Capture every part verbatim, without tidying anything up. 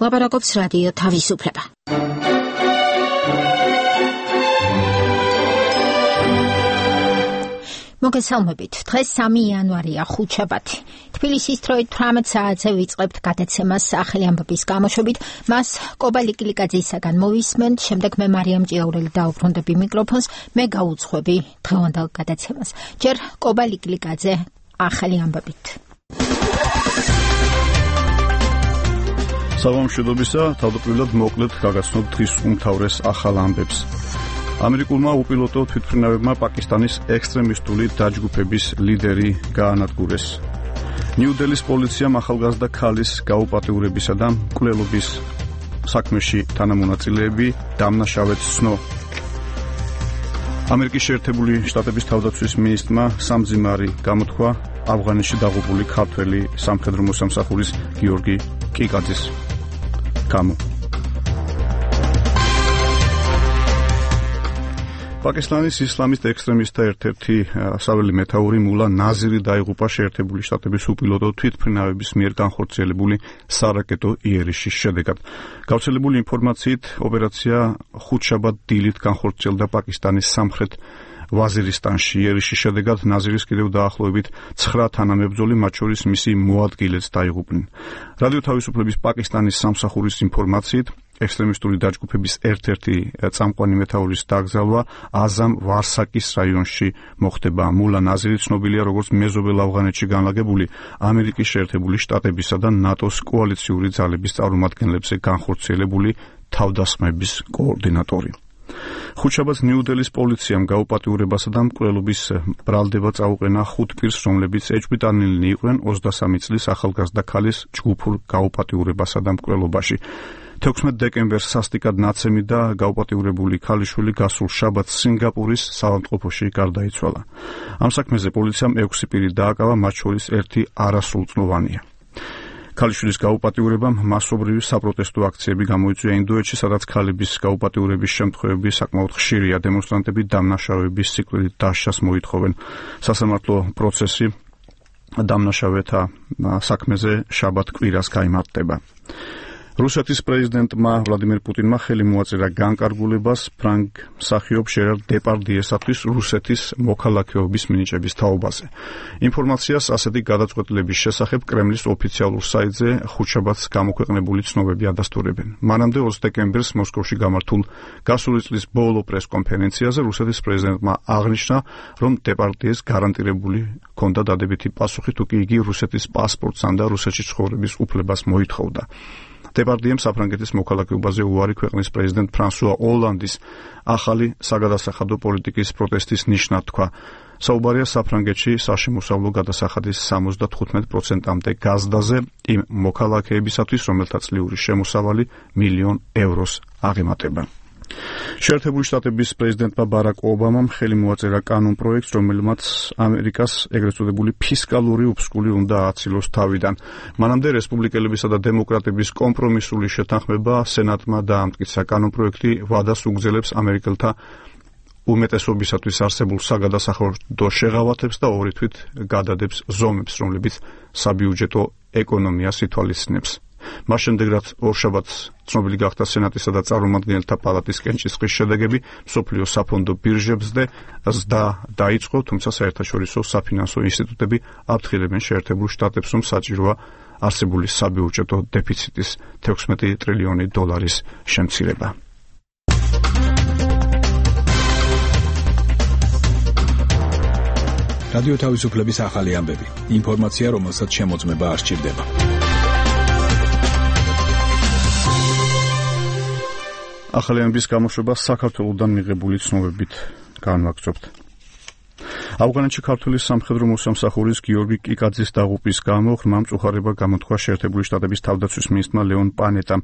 ლაპარაკობს რადიო თავისუფლება. მოგესალმებით. დღეს სამი იანვარია, ხუთშაბათი. თბილისის დროით თვრამეტ საათზე ვიწყებთ გადაცემას სახელი ამბების გამოშვებით. მას კობა ლიკილიკაძისაგან მოვისმენთ, შემდეგ მე მარიამ ჭიაურელი დაუბრუნდები მიკროფონს, მე გაუძღვები დღევანდელ გადაცემას. ჯერ კობა ლიკილიკაძე ახალი ამბებით. საღამოშიდობისა, თავდაპირველად მოკლედ გაგაცნობ დღის უმთავრეს ახალ ამბებს. ამერიკულმა უპილოტო თვითმფრინავებმა პაკისტანის ექსტრემისტული დაჯგუფების ლიდერი გაანადგურეს. ნიუ-დელის პოლიციამ ახალგაზრდა ქალის გაუპატიურებისა და მკვლელობის საქმეში თანამონაწილეები დამნაშავედ ცნო. ამერიკის შეერთებული შტატების თავდაცვის მინისტრმა სამძიმარი გამოთქვა ავღანეთში დაღუპული ქართველი სამხედრო მოსამსახურის გიორგი კიკაძის გამო. პაკისტანის ისლამისტ ექსტრემისტთა ერთ-ერთი საველე მეთაური მულა ნაზირი დაიღუპა შეერთებული შტატების უპილოტო თვითმფრინავების მიერ განხორციელებული სარაკეტო იერიშის შედეგად. გავრცელებული ინფორმაციით, ოპერაცია ხუთშაბათ დილით განხორციელდა პაკისტანის სამხრეთ ვაზირისტანში. იერიშის შედეგად ნაზირის კიდევ დაახლოებით ცხრა თანამებრძოლი, მათ შორის მისი მოადგილეც დაიღუპნენ. რადიო თავისუფლების პაკისტანის სამსახურის ინფორმაციით, ექსტრემისტული დაჯგუფების ერთ-ერთი წამყვანი მეთაურის დაკრძალვა აზამ ვარსაკის რაიონში მოხდება. მულა ნაზირი ცნობილია როგორც მეზობელ ავღანეთში განლაგებული ამერიკის შეერთებული შტატებისა და ნატოს კოალიციური ძალების წარმომადგენლებზე განხორციელებული თავდასხმების კოორდინატორი. ხუთშაბათს ნიუ-დელის პოლიციამ გაუპატიურებასა და მკვლელობის ბრალდება წაუყენა ხუთ პირს, რომლებიც ეჭვმიტანილნი იყვნენ ოცდასამი წლის ახალგაზრდა ქალის ჯგუფურ გაუპატიურებასა და მკვლელობაში. თექვსმეტ დეკემბერს სასტიკად ნაცემი და გაუპატიურებული ქალიშვილი გასულ შაბათს სინგაპურის საავადმყოფოში გარდაიცვალა. ამ საქმეზე პოლიციამ ექვსი პირი დააკავა, მათ შორის ერთი არასრულწლოვანია. ქალიშვილის გაუპატიურებამ მასობრივი საპროტესტო აქციები გამოიწვია ინდოეთში, სადაც ქალების გაუპატიურების შემთხვევები საკმაოდ ხშირია. დემონსტრანტები დამნაშავების სიკვდილით დასჯას მოითხოვენ. სასამართლო პროცესი დამნაშავეთა საქმეზე შაბათ კვირას გაიმართება. რუსეთის პრეზიდენტმა ვლადიმერ პუტინმა ხელი მოაწერა განკარგულებას ფრანგ მსახიობ ჟერარ დეპარდიესათვის რუსეთის მოქალაქეობის მინიჭების თაობაზე. ინფორმაციას ასეთი გადაწყვეტილების შესახებ კრემლის ოფიციალურ საიტზე ხუთშაბათს გამოქვეყნებული ცნობები ადასტურებენ. მანამდე ოცი დეკემბერს მოსკოვში გამართულ გასული წლის ბოლო პრესკონფერენციაზე რუსეთის პრეზიდენტმა აღნიშნა, რომ დეპარდიეს გარანტირებული ჰქონდა დადებითი პასუხი, თუ კი იგი რუსეთის პასპორტს და რუსეთში ცხოვრების უფლებას მოითხოვდა. დეპარდიემ საფრანგეთის მოქალაქეობაზე უარი ქვეყნის პრეზიდენტ ფრანსუა ოლანდის ახალი საგადასახადო პოლიტიკის პროტესტის ნიშნად თქვა. საუბარია საფრანგეთში საშემოსავლო გადასახადის სამოცდათხუთმეტ პროცენტამდე გაზრდაზე იმ მოქალაქეებისათვის, რომელთა წლიური შემოსავალი მილიონ ევროს აღემატება. შეერთებული შტატების პრეზიდენტმა ბარაკ ობამამ ხელი მოაწერა კანონპროექტს, რომელმაც ამერიკას ეგრეთ წოდებული ფისკალური უფსკული უნდა ააცილოს თავიდან. მანამდე რესპუბლიკელებისა და დემოკრატების კომპრომისული შეთანხმება სენატმა დაამტკიცა. კანონპროექტი ვადას უგზელებს ამერიკელთა უმეტესობისათვის არსებულ საგადასახადო შეღავათებს და ორი თვით გადადებს ზომებს, რომლებიც საბიუჯეტო ეკონომიას ითვალისწინებს. მას შემდეგ, რაც ორშაბათს ცნობილი გახდა სენატისა და წარმომადგენელთა პალატის კენჭისყრის შედეგები, მსოფლიო საფონდო ბირჟებზე ზრდა დაიწყო, თუმცა საერთაშორისო საფინანსო ინსტიტუტები აფრთხილებენ შეერთებულ შტატებს, რომ საჭიროა არსებული საბიუჯეტო დეფიციტის თექვსმეტი ტრილიონი დოლარის შემცირება. რადიო თავისუფლების ახალი ამბები. ინფორმაცია, რომელსაც შემოწმება არ სჭირდება. ახალი ამბების გამოშვება საქართველოსდან მიღებული ცნობებით განვაგრძობთ. ავღანეთში ქართული სამხედრო მოსამსახურის გიორგი კიკაძის დაღუპვის გამო ღრმა მწუხარება გამოთქვა შეერთებული შტატების თავდაცვის მინისტრმა ლეონ პანეტამ.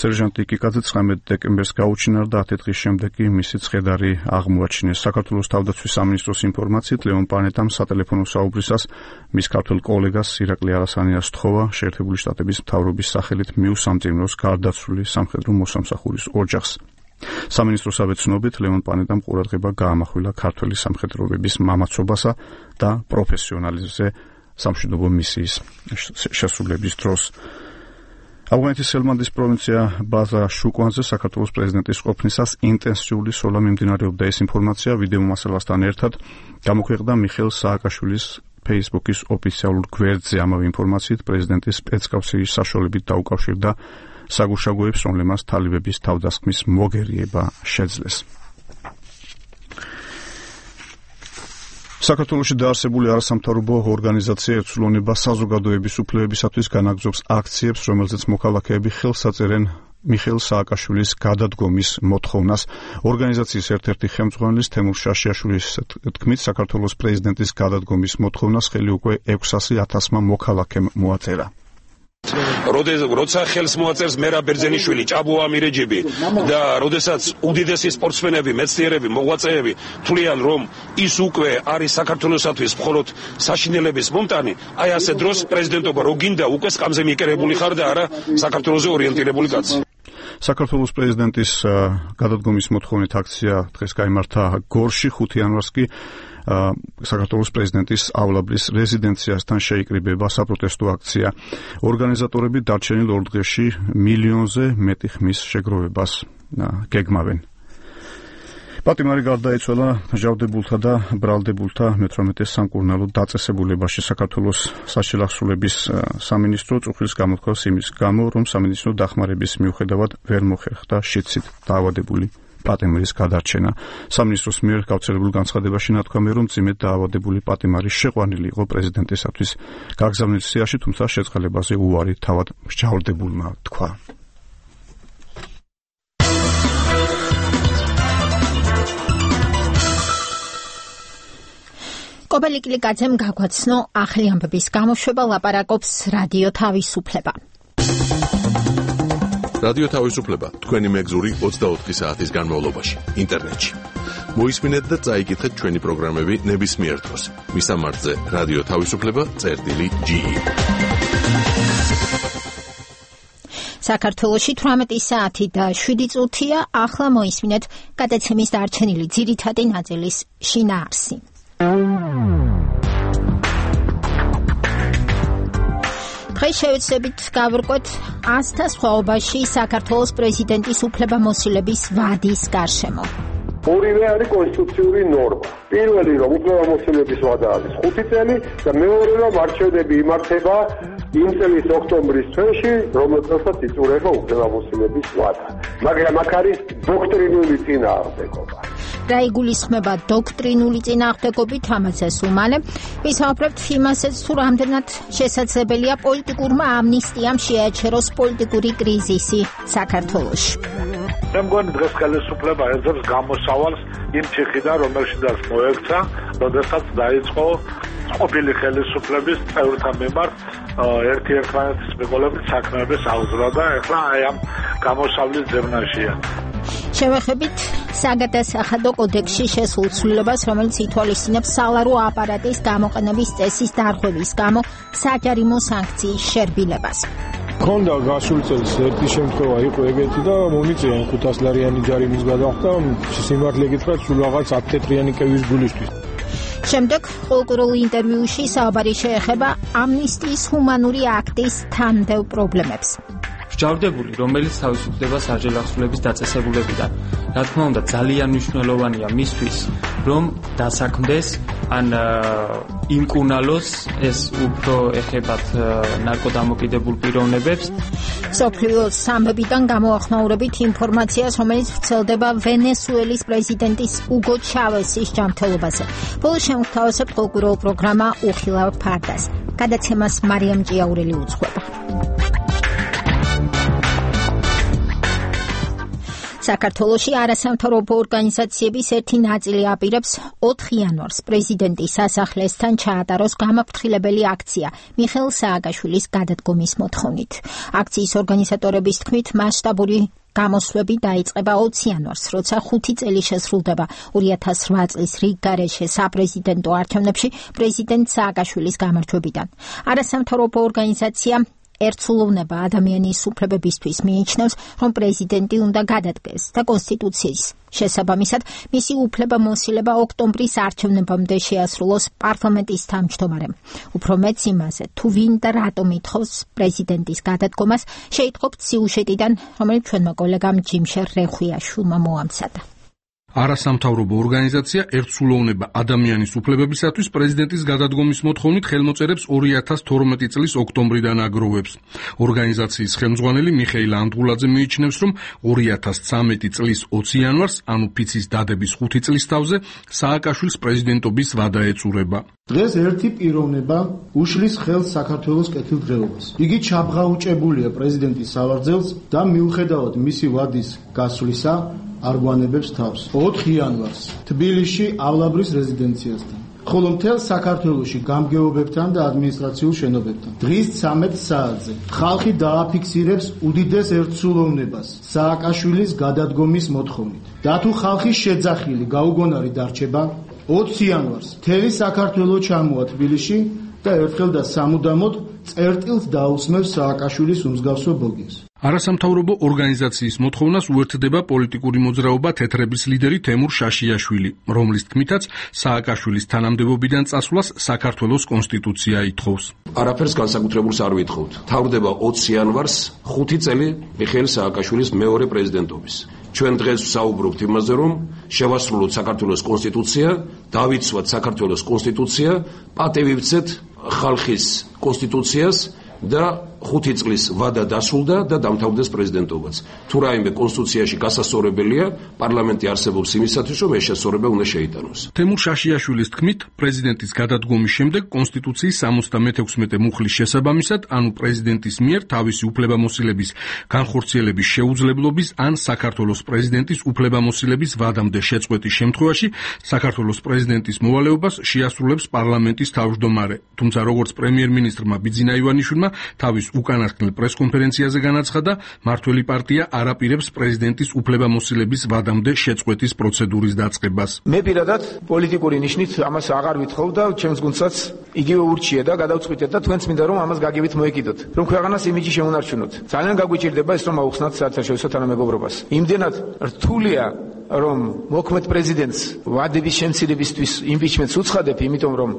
სერჟანტი კიკაძე ცხრამეტ დეკემბერს გაუჩინა და ათი დღის შემდეგ კი მისი ცხედარი აღმოაჩინეს. საქართველოს თავდაცვის სამინისტროს ინფორმაციით, ლეონ პანეტამ სატელეფონო საუბრისას მის ქართველ კოლეგას ირაკლი არასანიას სთხოვა შეერთებული შტატების მთავრობის სახელით მიუსამძიმროს გარდაცვლილი სამხედრო მოსამსახურის ოჯახს. სამინისტროსავე ცნობით, ლეონ პანეტამ ყურადღება გაამახვილა ქართველი სამხედროების მამაცობასა და პროფესიონალიზმზე სამშვიდობო მისიის შესრულების დროს. ავღანეთის ჰელმანდის პროვინცია ბაზა შუკვანზე საქართველოს პრეზიდენტის ყოფნისას ინტენსიური სროლა მიმდინარეობდა. ეს ინფორმაცია ვიდეო მასალასთან ერთად გამოქვეყნდა მიხეილ სააკაშვილის Facebook-ის ოფიციალურ გვერდზე. ამავე ინფორმაციით პრეზიდენტის სპეცკავშირის საშუალებით დაუკავშირდა საგუშაგოებს, რომლებმაც თალიბების თავდასხმის მოგერიება შეძლეს. საქართველოში დაარსებული არასამთავრობო ორგანიზაცია ეცვლონება საზოგადოების უფლებებისათვის განაგრძობს აქციებს, რომელზეც მოქალაქეები ხელს აწერენ მიხეილ სააკაშვილის გადადგომის მოთხოვნას. ორგანიზაციის ერთ-ერთი ხელმძღვანელის თემურ შაშიაშვილის თქმით, საქართველოს პრეზიდენტის გადადგომის მოთხოვნას ხელი უკვე ექვსასი ათასმა მოქალაქემ მოაწერა. როცა ხელს მოაწერს მერაბ ბერძენიშვილი, ჭაბო ამირეჯიბი და როდესაც უდიდესი სპორტსმენები, მეცნიერები, მოღვაწეები თვლიან, რომ ის უკვე არის საქართველოსათვის მხოლოდ საშინელების მომტანი, აი ასე დროს პრეზიდენტობა რო გინდა უკვე სკამზე მიკერებული ხარ და არა საქართველოზე ორიენტირებული კაცი. საქართველოს პრეზიდენტის გადადგომის მოთხოვნით აქცია დღეს გაიმართა გორში. ხუთი იანვარს კი საქართველოს პრეზიდენტისავლაბრის რეზიდენციასთან შეიკრიბება საპროტესტო აქცია. ორგანიზატორები დარჩენილ ორ დღეში მილიონზე მეტი ხმის შეგროვებას გეგმავენ. პატიმარი გარდაიცვალა ჟავდებულთა და ბრალდებულთა მეთვრამეტე სამკურნალო დაწესებულებაში. საქართველოს საშილახსოვრების სამინისტრო წუხილს გამოთქვას იმის გამო, რომ სამინისტრო დახმარების მიუხედავად ვერ მოხერხდა შიდსით დაავადებული პატიმარის გადარჩენა. სამინისტროს მიერ გავრცელებულ განცხადებაში ნათქვამი, რომ მძიმედ დაავადებული პატიმარი შეყვანილი იყო პრეზიდენტისათვის გაგზავნის სიაში, თუმცა შეწყალებაზე უარი თავად მსჯავრდებულმა თქვა. კობელი კლიკაძემ გაგვაცნო ახალი ამბების გამოშვება, ლაპარაკობს რადიო თავისუფლება. რადიო თავისუფლება თქვენი მეგზური ოცდაოთხი საათის განმავლობაში ინტერნეტში. მოისმინეთ და წაიკითხეთ ჩვენი პროგრამები ნებისმიერ დროს. მისამართზე რადიო თავისუფლება წერტილი ჯი ი. საქართველოში თვრამეტი საათი და შვიდი წუთია. ახლა მოისმინეთ გადაცემის დარჩენილი ძირითადი ნაწილის შინაარსი. დღეს შევეცდებით გავვრკვეთ ასთა სხვაობაში საქართველოს პრეზიდენტის უფლებამოსილების ვადის გარშემო. ორივე არის კონსტიტუციური ნორმა. პირველი რომ უფლებამოსილების ვადა არის ხუთი წელი და მეორე რომ არჩევნები იმართება იმ წლის ოქტომბრის თვეში, რომელსაც იწურება უფლებამოსილების ვადა. მაგრამ აქ არის დოქტრინული წინააღმდეგობა. რა იგულისხმება დოქტრინული წინააღმდეგობით, ამაცაც უმალე ვისაუბრებთ იმასაც, თუ რამდენად შესაძლებელია პოლიტიკურმა ამნისტიამ შეაჩეროს პოლიტიკური კრიზისი საქართველოში. მე მგონი დღეს ხელისუფლება ეძებს გამოსავალს იმ ციხიდან, რომელშიც მოექცა, როდესაც დაიწყო ყოფილი ხელისუფლების წევრთა მიმართ ერთი ერთმანეთის მიყოლებით საქმეების აღზრდა და ეხლა აი ამ გამოსავლის ძებნაშია. შევეხებით საგადასახადო კოდექსში შესულ ცვლილებას, რომელიც ითვალისწინებს სალარო აპარატის გამოყენების წესის დარღვევის გამო საჯარიმო სანქციის შერბილებას. ქონდა გასული წელს ერთი შემთხვევა იყო ეგეთი და მომიწია ხუთასლარიანი ჯარიმის გადახდა, სიმართლე გითხრათ, სულ რაღაც ათი თეთრიანი კევის გულისთვის. შემდეგ ყოლკურულ ინტერვიუში საუბარი შეეხება ამნისტიის ჰუმანური აქტის თანმდევ პრობლემებს. მსჯავრდებული, რომელიც თავისუფლდება საჯელახსოვრების დაწესებულებიდან. რა თქმა უნდა, ძალიან მნიშვნელოვანია მისთვის, რომ დასაქმდეს ან იმკურნალოს ეს უფრო ეხებათ ნარკოდამოკიდებულ პიროვნებებს. სოფლიო სამებიდან გამოახმაურებით ინფორმაციას, რომელიც ვრცელდება ვენესუელის პრეზიდენტის უგო ჩავესის ჯანმრთელობაზე. ბოლო შემოგთავაზებ ყოლკურულ პროგრამა უხილავ ფარდას. გადაცემას მარიამ ჭიაურელი უძღვება. საქართველოში არასამთავრობო ორგანიზაციების ერთი ნაწილი აპირებს ოთხი იანვარს პრეზიდენტის სასახლესთან ჩაატაროს გამაფრთხილებელი აქცია მიხეილ სააკაშვილის გადადგომის მოთხოვნით. აქციის ორგანიზატორების თქმით, მასშტაბური გამოსვლები დაიწყება ოცი იანვარს, როცა ხუთი წელი შესრულდება ორი ათას რვა წლის რიგ გარეშე საპრეზიდენტო არჩევნებში პრეზიდენტ სააკაშვილის გამარჯვებიდან. არასამთავრობო ორგანიზაცია ერთსულოვნება ადამიანის უფლებებისთვის მიიჩნევს, რომ პრეზიდენტი უნდა გადადგეს და კონსტიტუციის შესაბამისად მისი უფლებამოსილება ოქტომბრის არჩევნებამდე შეასრულოს პარლამენტის თავმჯდომარემ. უფრო მეც იმაზე, თუ ვინ და რატომ ითხოვს პრეზიდენტის გადადგომას, შეიტყობთ სიუჟეტიდან, რომელიც ჩვენმა კოლეგამ ჯიმშერ რეხვიაშვილმა მოამცადა. არასამთავრობო ორგანიზაცია ერთსულოვნება ადამიანის უფლებებისათვის პრეზიდენტის გადადგომის მოთხოვნით ხელმოწერებს ორი ათას თორმეტი წლის ოქტომბრიდან აგროვებს. ორგანიზაციის ხელმძღვანელი მიხეილ ანდღულაძე მიიჩნევს, რომ ორი ათას ცამეტი წლის ოცი იანვარს, ანუ ფიცის დადების ხუთი წლის თავზე, სააკაშვილის პრეზიდენტობის ვადა ეწურება. დღეს ერთი პიროვნება უშლის ხელს საქართველოს კეთილდღეობას. იგი ჩაბღაუჭებულია პრეზიდენტის სავარძელს და მიუხედავად მისი ვადის გასვლისა არ გვანებებს თავს. ოთხი იანვარს თბილისში ავლაბრის რეზიდენციასთან, ხოლო მთელ საქართველოში გამგეობებთან და ადმინისტრაციულ შენობებთან. დღის ცამეტ საათზე ხალხი დააფიქსირებს უდიდეს ერთსულოვნებას სააკაშვილის გადადგომის მოთხოვნით. და თუ ხალხის შეძახილი გაუგონარი დარჩება, ოცი იანვარს მთელი საქართველო ჩამოვა თბილისში და ერთხელ და სამუდამოდ წერტილს დაусმევს სააკაშვილის უმსგავსო ბოგეს. არასამთავრობო ორგანიზაციის მოთხოვნას უერთდება პოლიტიკური მოძრაობა თეთრების ლიდერი თემურ შაშიაშვილი, რომლის თქმითაც სააკაშვილის თანამდებობიდან წასვლას საქართველოს კონსტიტუცია ითხოვს. არაფერს განსაკუთრებულს არ ვითხოვთ. თავდება ოცი იანვარს ხუთი წელი მიხეილ სააკაშვილის მეორე პრეზიდენტობის. ჩვენ დღეს ვსაუბრობთ იმაზე, რომ შევასრულოთ საქართველოს კონსტიტუცია, დავიცვათ საქართველოს კონსტიტუცია, პატივივცეთ ხალხის კონსტიტუციას და ხუთი წლის ვადა დასრულდა და დამთავრდეს პრეზიდენტობაც. თუ რაიმე კონსტიტუციაში გასასწორებელია, პარლამენტი არსებობს იმისათვის, რომ ეს შესწორება უნდა შეიტანოს. თემურ შაშიაშვილის თქმით, პრეზიდენტის გადადგომის შემდეგ კონსტიტუციის სამოცდამეექვსმეტე მუხლის შესაბამისად, ანუ პრეზიდენტის მიერ თავისი უფლებამოსილების განხორციელების შეუძლებლობის ან საქართველოს პრეზიდენტის უფლებამოსილების ვადამდე შეწყვეტის შემთხვევაში, საქართველოს პრეზიდენტის მოვალეობას შეასრულებს პარლამენტის თავმჯდომარე. თუმცა როგორც პრემიერ-მინისტრმა ბიძინა ივანიშვილმა თავის უკანასკნელ პრესკონფერენციაზე განაცხადა, მართველი პარტია არ აპირებს პრეზიდენტის უფლებამოსილების ვადამდე შეწყვეტის პროცედურის დაწყებას. მე პირადად პოლიტიკური ნიშნით ამას აღარ ვითხოვ და ჩემს გუნდსაც იგივე ურჩია და გადავწყვიტეთ და თქვენც მინდა რომ ამას გაგივით მოეკიდოთ. რომ ქვეყანას იმიჯი შემონარჩუნოთ. ძალიან გაგვიჭირდება ეს რომ აუხსნათ საერთაშორისო თანამეგობრობას. იმდენად რთულია რომ მოქმედ პრეზიდენტს ვადების შემცირებისთვის იმპიჩმენტს უცხადებ, იმიტომ რომ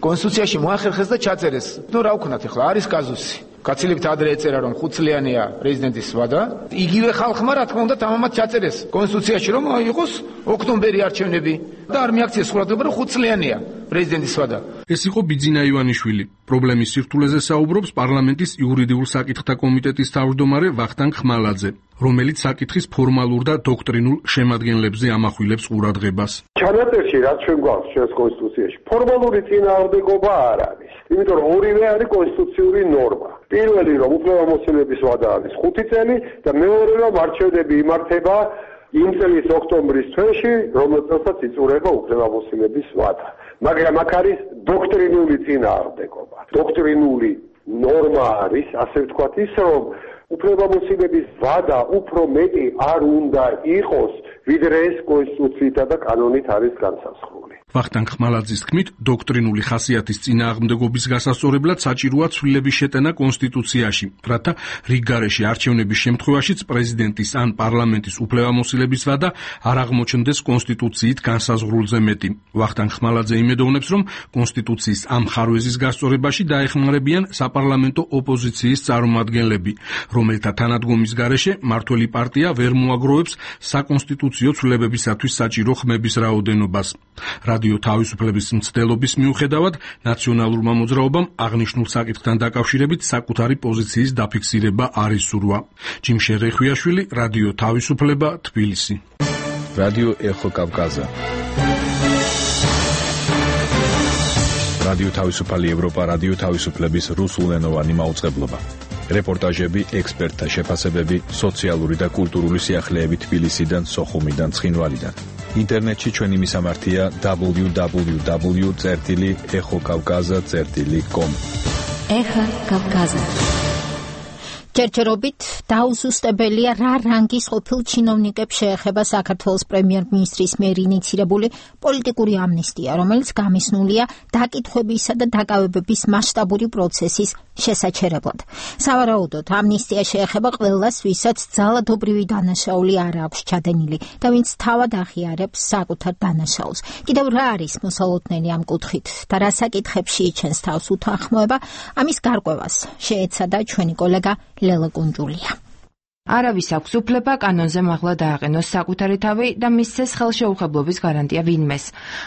კონსტიტუციაში მოახერხეს და ჩაწერეს. ნუ რა ვქნათ ახლა, არის კაზუსი. გაცილებთ ადრე ეწერა რომ ხუთწლიანია პრეზიდენტის ვადა. იგივე ხალხმა რა თქმა უნდა თამამად ჩაწერეს კონსტიტუციაში რომ იყოს ოქტომბერი არჩევნები და არ მიაქციეს ყურადღება რომ ხუთწლიანია პრეზიდენტის ვადა. ეს იყო ბიძინა ივანიშვილი. პრობლემის სირთულეზე საუბრობს პარლამენტის იურიდიულ საკითხთა კომიტეტის თავმჯდომარე ვახტანგ ხმალაძე, რომელიც საკითხის ფორმალურ და დოქტრინულ შემადგენლებზე ამახვილებს ყურადღებას. ჩანაწერში რაც ჩვენ გვაქვს ჩვენს კონსტიტუციაში, ფორმალური წინააღმდეგობა არ არის. იმიტომ რომ ორივე არის კონსტიტუციური ნორმა. პირველი რომ უფლებამოსილების ვადა არის ხუთი წელი და მეორე რომ არჩევნები იმართება იმ წლის ოქტომბრის თვეში, რომელსაც იწურება უფლებამოსილების ვადა. მაგრამ აქ არის დოქტრინული წინააღმდეგობა. დოქტრინული ნორმა არის, ასე ვთქვათ, ის რომ უფლებამოსილების ვადა უფრო მეტი არ უნდა იყოს, ვიდრე ეს კონსტიტუციითა და კანონით არის განსაზღვრული. ვახტანგ ხმალაძის თქმით, დოქტრინული ხასიათის წინააღმდეგობის გასასწორებლად საჭიროა ცვლილების შეტანა კონსტიტუციაში, რათა რიგ გარეშე არჩევნების შემთხვევაშიც პრეზიდენტის ან პარლამენტის უფლებამოსილების ვადა არ აღმოჩნდეს კონსტიტუციით განსაზღვრულზე მეტი. ვახტანგ ხმალაძე იმედოვნებს, რომ კონსტიტუციის ამ ხარვეზის გასწორებაში დაეხმარებიან საპარლამენტო ოპოზიციის წარმომადგენლები, რომელთა თანადგომის გარეშე მართველი პარტია ვერ მოაგროვებს საკონსტიტუციო ცვლილებებისათვის საჭირო ხმების რაოდენობას. რადიო თავისუფლების მცდელობის მიუხედავად, ნაციონალურმა მოძრაობამ აღნიშნულ საკითხთან დაკავშირებით საკუთარი პოზიციის დაფიქსირება არ ისურვა. ჯიმშერ რეხვიაშვილი, რადიო თავისუფლება, თბილისი. რადიო ეხო კავკაზა. რადიო თავისუფალი ევროპა, რადიო თავისუფლების რუსულენოვანი მაუწყებლობა. რეპორტაჟები, ექსპერტთა შეფასებები, სოციალური და კულტურული სიახლეები თბილისიდან, სოხუმიდან, ცხინვალიდან. ინტერნეტში ჩვენი მისამართია დაბლიუ დაბლიუ დაბლიუ წერტილი ეხო კავკაზა წერტილი კომ. ეხა კავკაზა. ჯერჯერობით დაუზუსტებელია რა რანგის ყოფილ ჩინოვნიკებს შეეხება საქართველოს პრემიერ-მინისტრის მიერ ინიცირებული პოლიტიკური ამნისტია, რომელიც გამისნულია დაკითხვებისა და დაკავებების მასშტაბური პროცესის შესაჩერებლად. სავარაუდოდ, ამნისტია შეეხება ყველას, ვისაც ძალადობრივი დანაშაული არ აქვს ჩადენილი და ვინც თავად აღიარებს საკუთარ დანაშაულს. კიდევ რა არის მოსალოდნელი ამ კუთხით და რა საკითხებში იჩენს თავს უთანხმოება, ამის გარკვევას შეეცადა ჩვენი კოლეგა ლელა კუნჯულია. არავის აქვს უფლება კანონზე მაღლა დააყენოს საკუთარი თავი და მისცეს ხელშეუხებლობის გარანტია ვინმეს.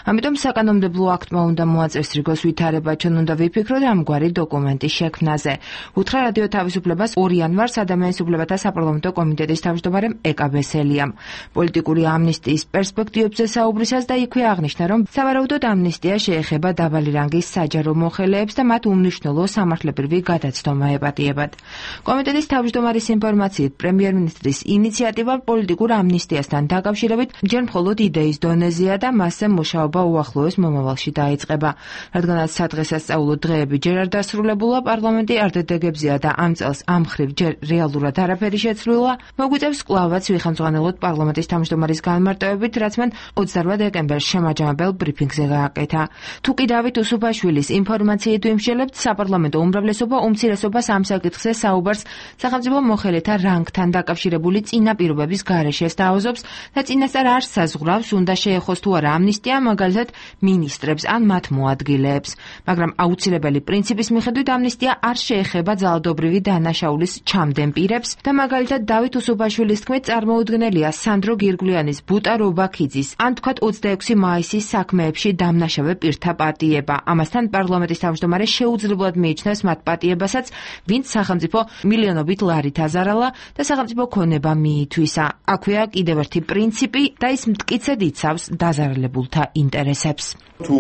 ამიტომ საკანონმდებლო აქტმა უნდა მოაწესოს რიგოს ვითარება, ჩვენ უნდა ვიფიქროთ ამგვარი დოკუმენტის შექმნაზე. უთხრა რადიო თავისუფლებას ორი იანვარს ადამიანის უფლებათა საპარლამენტო კომიტეტის თავმჯდომარემ ეკა ბესელიამ. პოლიტიკური ამნისტიის პერსპექტივებზე საუბრისას და იქვე აღნიშნა, რომ სავარაუდოდ ამნისტია შეეხება დაბალი რანგის საჯარო მოხელეებს და მათ უმნიშვნელო სამართლებრივი გადაცდომა ეპატიებათ. კომიტეტის თავმჯდომარის ინფორმაციით პრემიერ-მინისტრის ინიციატივა პოლიტიკურ ამნისტიასთან დაკავშირებით ჯერ მხოლოდ იდეის დონეზეა და მასზე მუშაობა უახლოეს მომავალში დაიწყება. რადგანაც სადღესასწაულო დღეები ჯერ არ დასრულებულა, პარლამენტი არ დადეგებზეა და ამ წელს ამ მხრივ ჯერ რეალურად არაფერი შეცვლილა, მოგვიწევს კვლავაც ვიხელმძღვანელოთ პარლამენტის თავმჯდომარის განმარტოებით, რაც მან ოცდაორ დეკემბერს შემაჯამებელ ბრიფინგზე გააკეთა. თუ კი დავით უსუფაშვილის ინფორმაციით ვიმსჯელებთ, საპარლამენტო უმრავლესობა უმცირესობას ამ საკითხზე საუბარს სახელმწიფო მოხელეთა რანგთან დაკავშირებული წინაპირობების გარეშე სთავაზობს და წინასწარ არ საზღვრავს, უნდა შეეხოს თუ არა ამნისტია მაგალითად მინისტრებს ან მათ მოადგილეებს. მაგრამ აუცილებელი პრინციპის მიხედვით ამნისტია არ შეეხება ძალადობრივი დანაშაულის ჩამდენ პირებს და მაგალითად დავით უსუფაშვილის თქმით წარმოუდგენელია სანდრო გირგვლიანის, ბუტა რობაქიძის ან თქვათ ოცდაექვსი მაისის საქმეებში დამნაშავე პირთა პატიება. ამასთან პარლამენტის თავმჯდომარე შეუძლებლად მიიჩნევს მათ პატიებასაც, ვინც სახელმწიფო მილიონობით ლარით აზარალა და სახელმწიფო ქონება მიითვისა. აქვეა კიდევ ერთი პრინციპი და ის მტკიცედ იცავს დაზარალებულთა ინტერესებს. თუ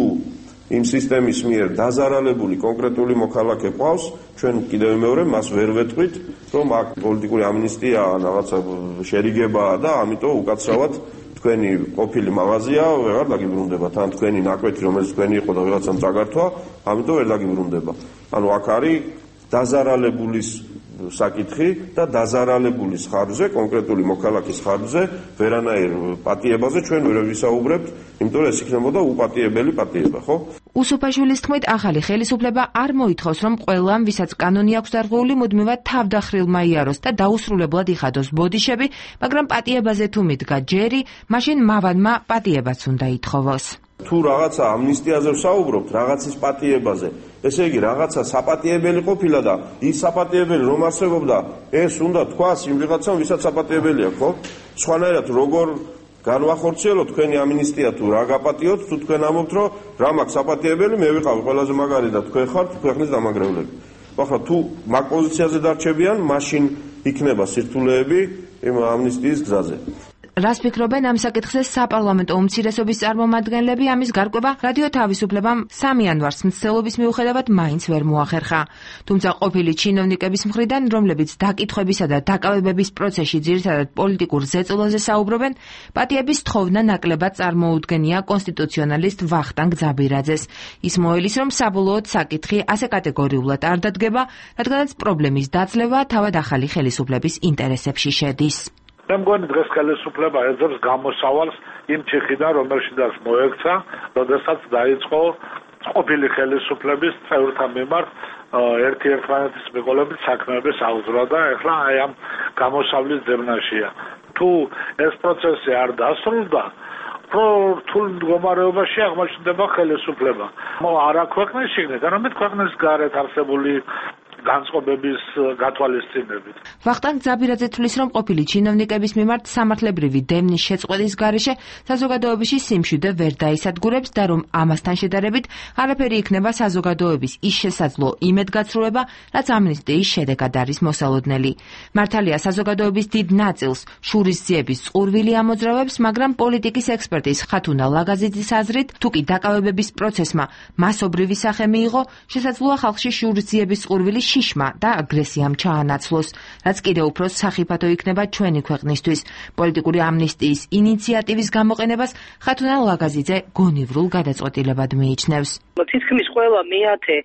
იმ სისტემის მიერ დაზარალებული კონკრეტული მოქალაქე ყავს, ჩვენ კიდევ მეორე მას ვერ ვეტყვით, რომ აქ პოლიტიკური ამნისტია რაღაცა შერიგებაა და ამიტომ უკაცრავად თქვენი ყოფილი მაღაზია ვეღარ დაგიბრუნდებათ, ან თქვენი ნაკვეთი, რომელიც თქვენი იყო და ვიღაცამ წაგართვა, ამიტომ ვერ დაგიბრუნდება. ანუ აქ არის დაზარალებულის საკითხი და დაზარალებულის ხარჯზე, კონკრეტული მოქალაქის ხარჯზე, ვერანაირ პატიებაზე ჩვენ ვერ ვისაუბრებთ, იმიტომ რომ ეს იქნებოდა უპატიებელი პატიება, ხო? უსუფაშვილის თქმით, ახალი ხელისუფლება არ მოითხოვს, რომ ყველამ, ვისაც კანონი აქვს დარღვეული, მუდმივად თავდახრილმა იაროს და დაუსრულებლად იხადოს ბოდიშები, მაგრამ პატიებაზე თუ მიდგა ჯერი, მაშინ მავანმა პატიებაც უნდა ითხოვოს. თუ რაღაცა ამნისტიაზე ვსაუბრობთ, რაღაცის პატიებაზე, ესე იგი რაღაცა საპატიებელი ყოფილა და ის საპატიებელი რომ არსებობდა, ეს უნდა თქვას იმ ვიღაცამ, ვისაც საპატიებელი აქვს, ხო? სხვანაირად როგორ განვახორციელოთ თქვენი ამნისტია თუ რა გაპატიოთ, თუ თქვენ ამბობთ, რომ რა მაქვს საპატიებელი, მე ვიყავი ყველაზე მაგარი და თქვენ ხართ ქვეყნის დამაგრევლები. ახლა თუ მაგ პოზიციაზე დარჩებიან, მაშინ იქნება სირთულეები იმ ამნისტიის გზაზე. რას ფიქრობენ ამ საკითხზე საპარლამენტო უმცირესობის წარმომადგენლები? ამის გარკვევა რადიო თავისუფლებამ სამი იანვარს მცდელობის მიუხედავად მაინც ვერ მოახერხა. თუმცა ყოფილი ჩინოვნიკების მხრიდან, რომლებიც დაკითხვებისა და დაკავებების პროცესში ძირითადად პოლიტიკურ ზეწოლაზე საუბრობენ, პატიების თხოვნა ნაკლებად წარმოუდგენია კონსტიტუციონალისტ ვახტანგ ძაბირაძეს. ის მოელის, რომ საბოლოოდ საკითხი ასე კატეგორიულად არ დადგება, რადგანაც პრობლემის დაძლევა თავად ახალი ხელისუფლების ინტერესებში შედის. მე მგონი დღეს ხელისუფლება ეძებს გამოსავალს იმ ჩიხიდან, რომელშიდაც მოექცა, როდესაც დაიწყო ყოფილი ხელისუფლების წევრთა მიმართ ერთი ერთმანეთის მიყოლებით საქმეების აღძვრა და ეხლა აი ამ გამოსავლის ძებნაშია. თუ ეს პროცესი არ დასრულდა, რთულ მდგომარეობაში აღმოჩნდება ხელისუფლება. არა ქვეყნის შიგნით, არამედ ქვეყნის გარეთ არსებული განწყობების გათვალისწინებით. ვახტანგ ძაბირაძე თვლის, რომ ყოფილი ჩინოვნიკების მიმართ სამართლებრივი დემნის შეწყვეტის გარეშე საზოგადოებაში სიმშვიდე ვერ დაისადგურებს და რომ ამასთან შედარებით არაფერი იქნება საზოგადოების ის შესაძლო იმედგაცრუება, რაც ამნისტიის შედეგად არის მოსალოდნელი. მართალია საზოგადოების დიდ ნაწილს შურისძიების წყურვილი ამოძრავებს, მაგრამ პოლიტიკის ექსპერტის ხათუნა ლაგაზიძის აზრით, თუ კი დაკავებების პროცესმა მასობრივი სახე მიიღო, შესაძლოა ხალხში შურისძიების წყურვილი შიშმა და აგრესიამ ჩაანაცვლოს, რაც კიდევ უფრო სახიფათო იქნება ჩვენი ქვეყნისთვის. პოლიტიკური ამნისტიის ინიციატივის გამოყენებას ხათუნა ლაგაზიძე გონივრულ გადაწყვეტილებად მიიჩნევს. თითქმის ყველა მეათე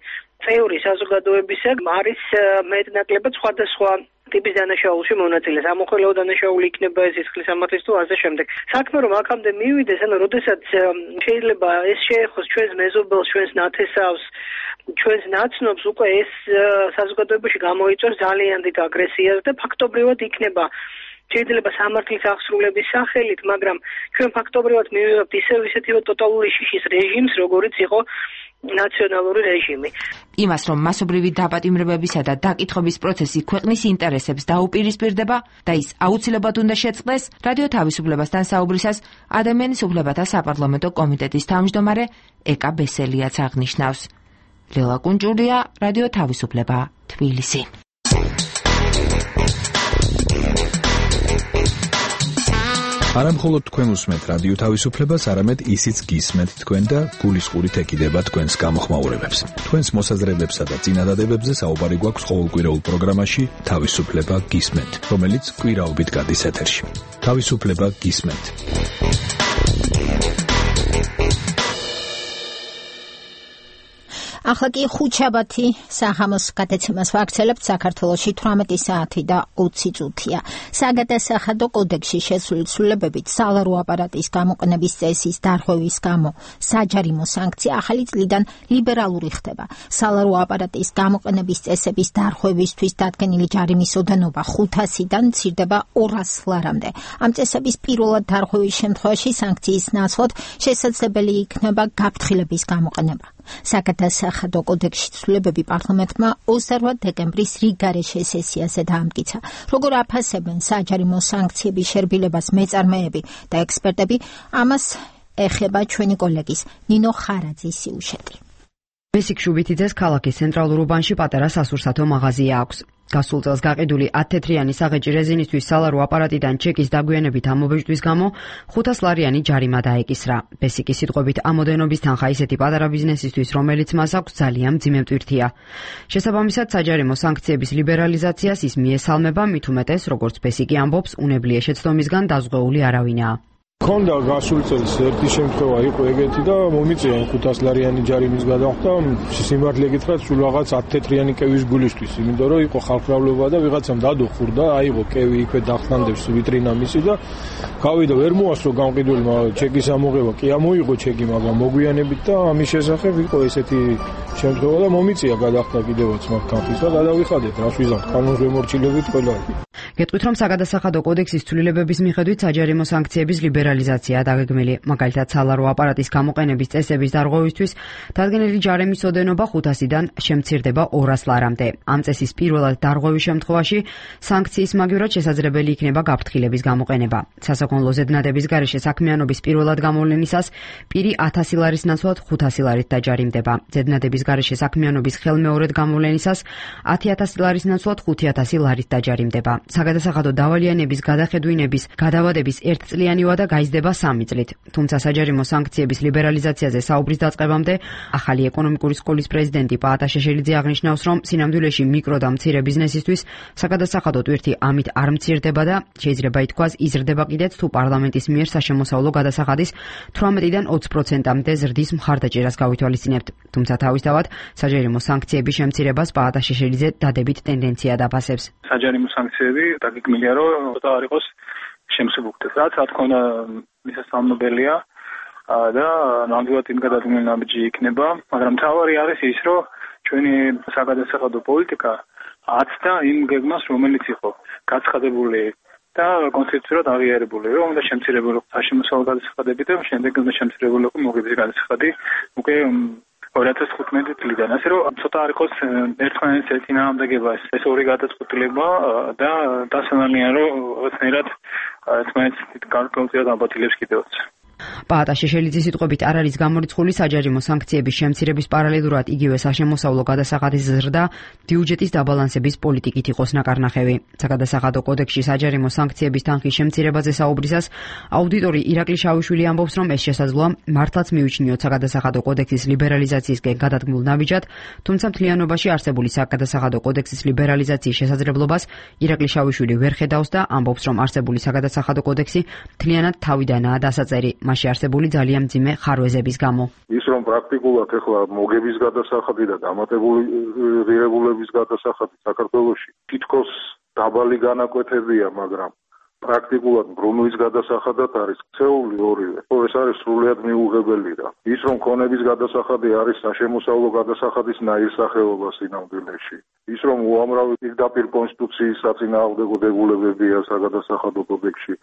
წევრი საზოგადოებისა არის მეტნაკლებად სხვადასხვა ტიპის დანაშაულში მონაწილეს. ამოხელეო დანაშაული იქნება ეს სისხლის სამართლის თუ ასე შემდეგ. საქმე რომ აქამდე მივიდეს, ანუ როდესაც შეიძლება ეს შეეხოს ჩვენს მეზობელს, ჩვენს ნათესავს, ჩვენს ნაცნობს, უკვე ეს საზოგადოებაში გამოიწვევს ძალიან დიდ აგრესიას და ფაქტობრივად იქნება შეიძლება სამართლის აღსრულების სახელით, მაგრამ ჩვენ ფაქტობრივად მივიღებთ ისევ ისეთივე ტოტალური შიშის რეჟიმს, როგორიც იყო ნაციონალური რეჟიმი. იმას, რომ მასობრივი დაპატიმრებებისა და დაკითხების პროცესი ქვეყნის ინტერესებს დაუპირისპირდება და ის აუცილებლად უნდა შეწყდეს, რადიო თავისუფლებასთან საუბრისას ადამიანის უფლებათა საპარლამენტო კომიტეტის თავმჯდომარე ეკა ბესელიაც აღნიშნავს. ლელა კუნჭურია, რადიო თავისუფლება, თბილისი. არა მხოლოდ თქვენ უსმენთ რადიო თავისუფლებას, არამედ ისიც გისმენთ თქვენ და გულისყურით ეკიდება თქვენს გამოხმაურებებს. თქვენს მოსაზრებებსა და წინადადებებზე საუბარი გვაქვს ყოველკვირეულ პროგრამაში თავისუფლება გისმენთ, რომელიც კვირაობით გადის ეთერში. თავისუფლება გისმენთ. ახლა კი ხუთშაბათი სახამოს გადაცემას ვაქცელებთ საქართველოში თვრამეტი საათი და ოცი წუთია. საგადასახადო კოდექსში შესული ცვლილებებით სალარო აპარატის გამოყენების წესის დარღვევის გამო საჯარიმო სანქცია ახალი წლიდან ლიბერალური ხდება. სალარო აპარატის გამოყენების წესების დარღვევისთვის დადგენილი ჯარიმის ოდენობა ხუთასიდან მცირდება ორას ლარამდე. ამ წესების პირველად დარღვევის შემთხვევაში სანქციის ნაცვლად შესაძლებელი იქნება გაფრთხილების გამოყენება. საგადასახადო კოდექსში ცვლილებები პარლამენტმა ოცდაორი დეკემბრის რიგგარეშე სესიაზე დაამტკიცა. როგორ აფასებენ საჯარიმო სანქციების შერბილებას მეწარმეები და ექსპერტები, ამას ეხება ჩვენი კოლეგის ნინო ხარაძის სიუჟეტი. ბესიკ შუბითიძეს ქალაქის ცენტრალურ უბანში პატარა სასურსათო მაღაზია აქვს. გასულ წელს გაყიდული ათთეთრიანი საღეჭი რეზინისთვის სალარო აპარატიდან ჩეკის დაგვიანებით ამობეჭდვის გამო ხუთას ლარიანი ჯარიმა დაეკისრა. ბესიკის სიტყვებით ამოდენობის თანხა ისეთი პატარა ბიზნესისთვის, რომელიც მას აქვს, ძალიან მძიმე მტვირთია. შესაბამისად, საჯარიმო სანქციების ლიბერალიზაციას ის მიესალმება, მით უმეტეს, როგორც ბესიკი ამბობს, უნებლიე შეცდომისგან დაზღვეული არავინაა. ქონდა გასულ წელს ერთი შემთხვევა იყო ეგეთი და მომიწია ხუთას ლარიანი ჯარიმის გადახდა, სიმართლე გითხრათ, სულ რაღაც ათთეთრიანი კევის გულისთვის, იმიტომ რომ იყო ხალხმრავლობა და ვიღაცამ დადო ხურდა, აიღო კევი იქვე დახტანდებს ვიტრინა მისი და გავიდა ვერ მოასწრო გამყიდველი, მაგრამ ჩეკის ამოღება კი ამოიღო ჩეკი, მაგრამ მოგვიანებით და ამის შესახებ იყო ესეთი შემთხვევა და მომიწია გადახდა კიდევაც მათ კანფის და გადავიხადეთ, რას ვიზამთ, კანონს ვემორჩილებით ყველა. გეტყვით, რომ საგადასახადო კოდექსის ცვლილებების მიხედვით საჯარიმო სანქციების ლიბერალიზაცია დაგეგმილი. მაგალითად, სალარო აპარატის გამოყენების წესების დარღვევისთვის დადგენილი ჯარიმის ოდენობა ხუთასიდან შემცირდება ორას ლარამდე. ამ წესის პირველად დარღვევის შემთხვევაში სანქციის მაგივრად შესაძლებელი იქნება გაფრთხილების გამოყენება. სასაქონლო ზედნადების გარეშე საქმიანობის პირველად გამოვლენისას პირი ათასი ლარის ნაცვლად ხუთასი ლარით დაჯარიმდება. ზედნადების გარეშე საქმიანობის ხელმეორედ გამოვლენისას ათი ათასი ლარის ნაცვლად ხუთი ათასი ლარით დაჯარიმდება. საგადასახადო დავალიანების გადახედვინების გადავადების ერთწლიანი ვადა გაიზრდება სამი წლით. თუმცა საჯარიმო სანქციების ლიბერალიზაციაზე საუბრის დაწყებამდე ახალი ეკონომიკური სკოლის პრეზიდენტი პაატა შეშელიძე აღნიშნავს, რომ სინამდვილეში მიკრო და მცირე ბიზნესისთვის საგადასახადო ტვირთი ამით არ მცირდება და შეიძლება ითქვას იზრდება კიდეც თუ პარლამენტის მიერ საშემოსავლო გადასახადის თვრამეტიდან ოცი პროცენტამდე ზრდის მხარდაჭერას გავითვალისწინებთ. თუმცა თავისთავად საჯარიმო სანქციების შემცირებას პაატა შეშელიძე დადებით ტენდენცია დაფასებს. საჯარიმო სანქციები დაგეგმილია, რომ არ იყოს შემსუბუქდეს. რაც რა თქმა უნდა მისასალმებელია და ნამდვილად იმ გადადგმული ნაბიჯი იქნება, მაგრამ თავარი არის ის, რომ ჩვენი საგადასახადო პოლიტიკა აცდა იმ გეგმას, რომელიც იყო გაცხადებული და კონსტიტუციურად აღიარებული, რომ უნდა შემცირებულიყო საშემოსავლო გადასახადები და შემდეგ უნდა შემცირებულიყო მოგების გადასახადი უკვე ორი ათას თხუთმეტი წლიდან. ასე რომ ცოტა არ იყოს ერთმანეთის ერთინაამდეგება ეს ორი გადაწყვეტილება და დასანალია, რომ რაღაცნაირად ერთმანეთს გარკვეულწილად ამბატილებს კიდევაც. პაატა შეშელიძის სიტყვებით არ არის გამორიცხული საჯარიმო სანქციების შემცირების პარალელურად იგივე საშემოსავლო გადასახადის ზრდა ბიუჯეტის დაბალანსების პოლიტიკით იყოს ნაკარნახევი. საგადასახადო კოდექსში საჯარიმო სანქციების თანხის შემცირებაზე საუბრისას აუდიტორი ირაკლი შავიშვილი ამბობს, რომ ეს შესაძლოა მართლაც მივიჩნიოთ საგადასახადო კოდექსის ლიბერალიზაციისკენ გადადგმულ ნაბიჯად, თუმცა მთლიანობაში არსებული საგადასახადო კოდექსის ლიბერალიზაციის შესაძლებლობას ირაკლი შავიშვილი ვერ ხედავს და ამბობს, რომ არსებული საგადასახადო კოდექსი მთლიანად თავიდანაა დასაწერი. მასში არსებული ძალიან მძიმე ხარვეზების გამო. ის რომ პრაქტიკულად ახლა მოგების გადასახადი და დამატებული ღირებულების გადასახადი საქართველოში თითქოს დაბალი განაკვეთებია, მაგრამ პრაქტიკულად ბრუნვის გადასახადად არის ქცეული ორივე. ეს არის სრულიად მიუღებელი და ის რომ ქონების გადასახადი არის საშემოსავლო გადასახადის ნაირსახეობა სინამდვილეში. ის რომ უამრავი პირდაპირ კონსტიტუციის საწინააღმდეგო დებულებებია საგადასახადო კოდექსში,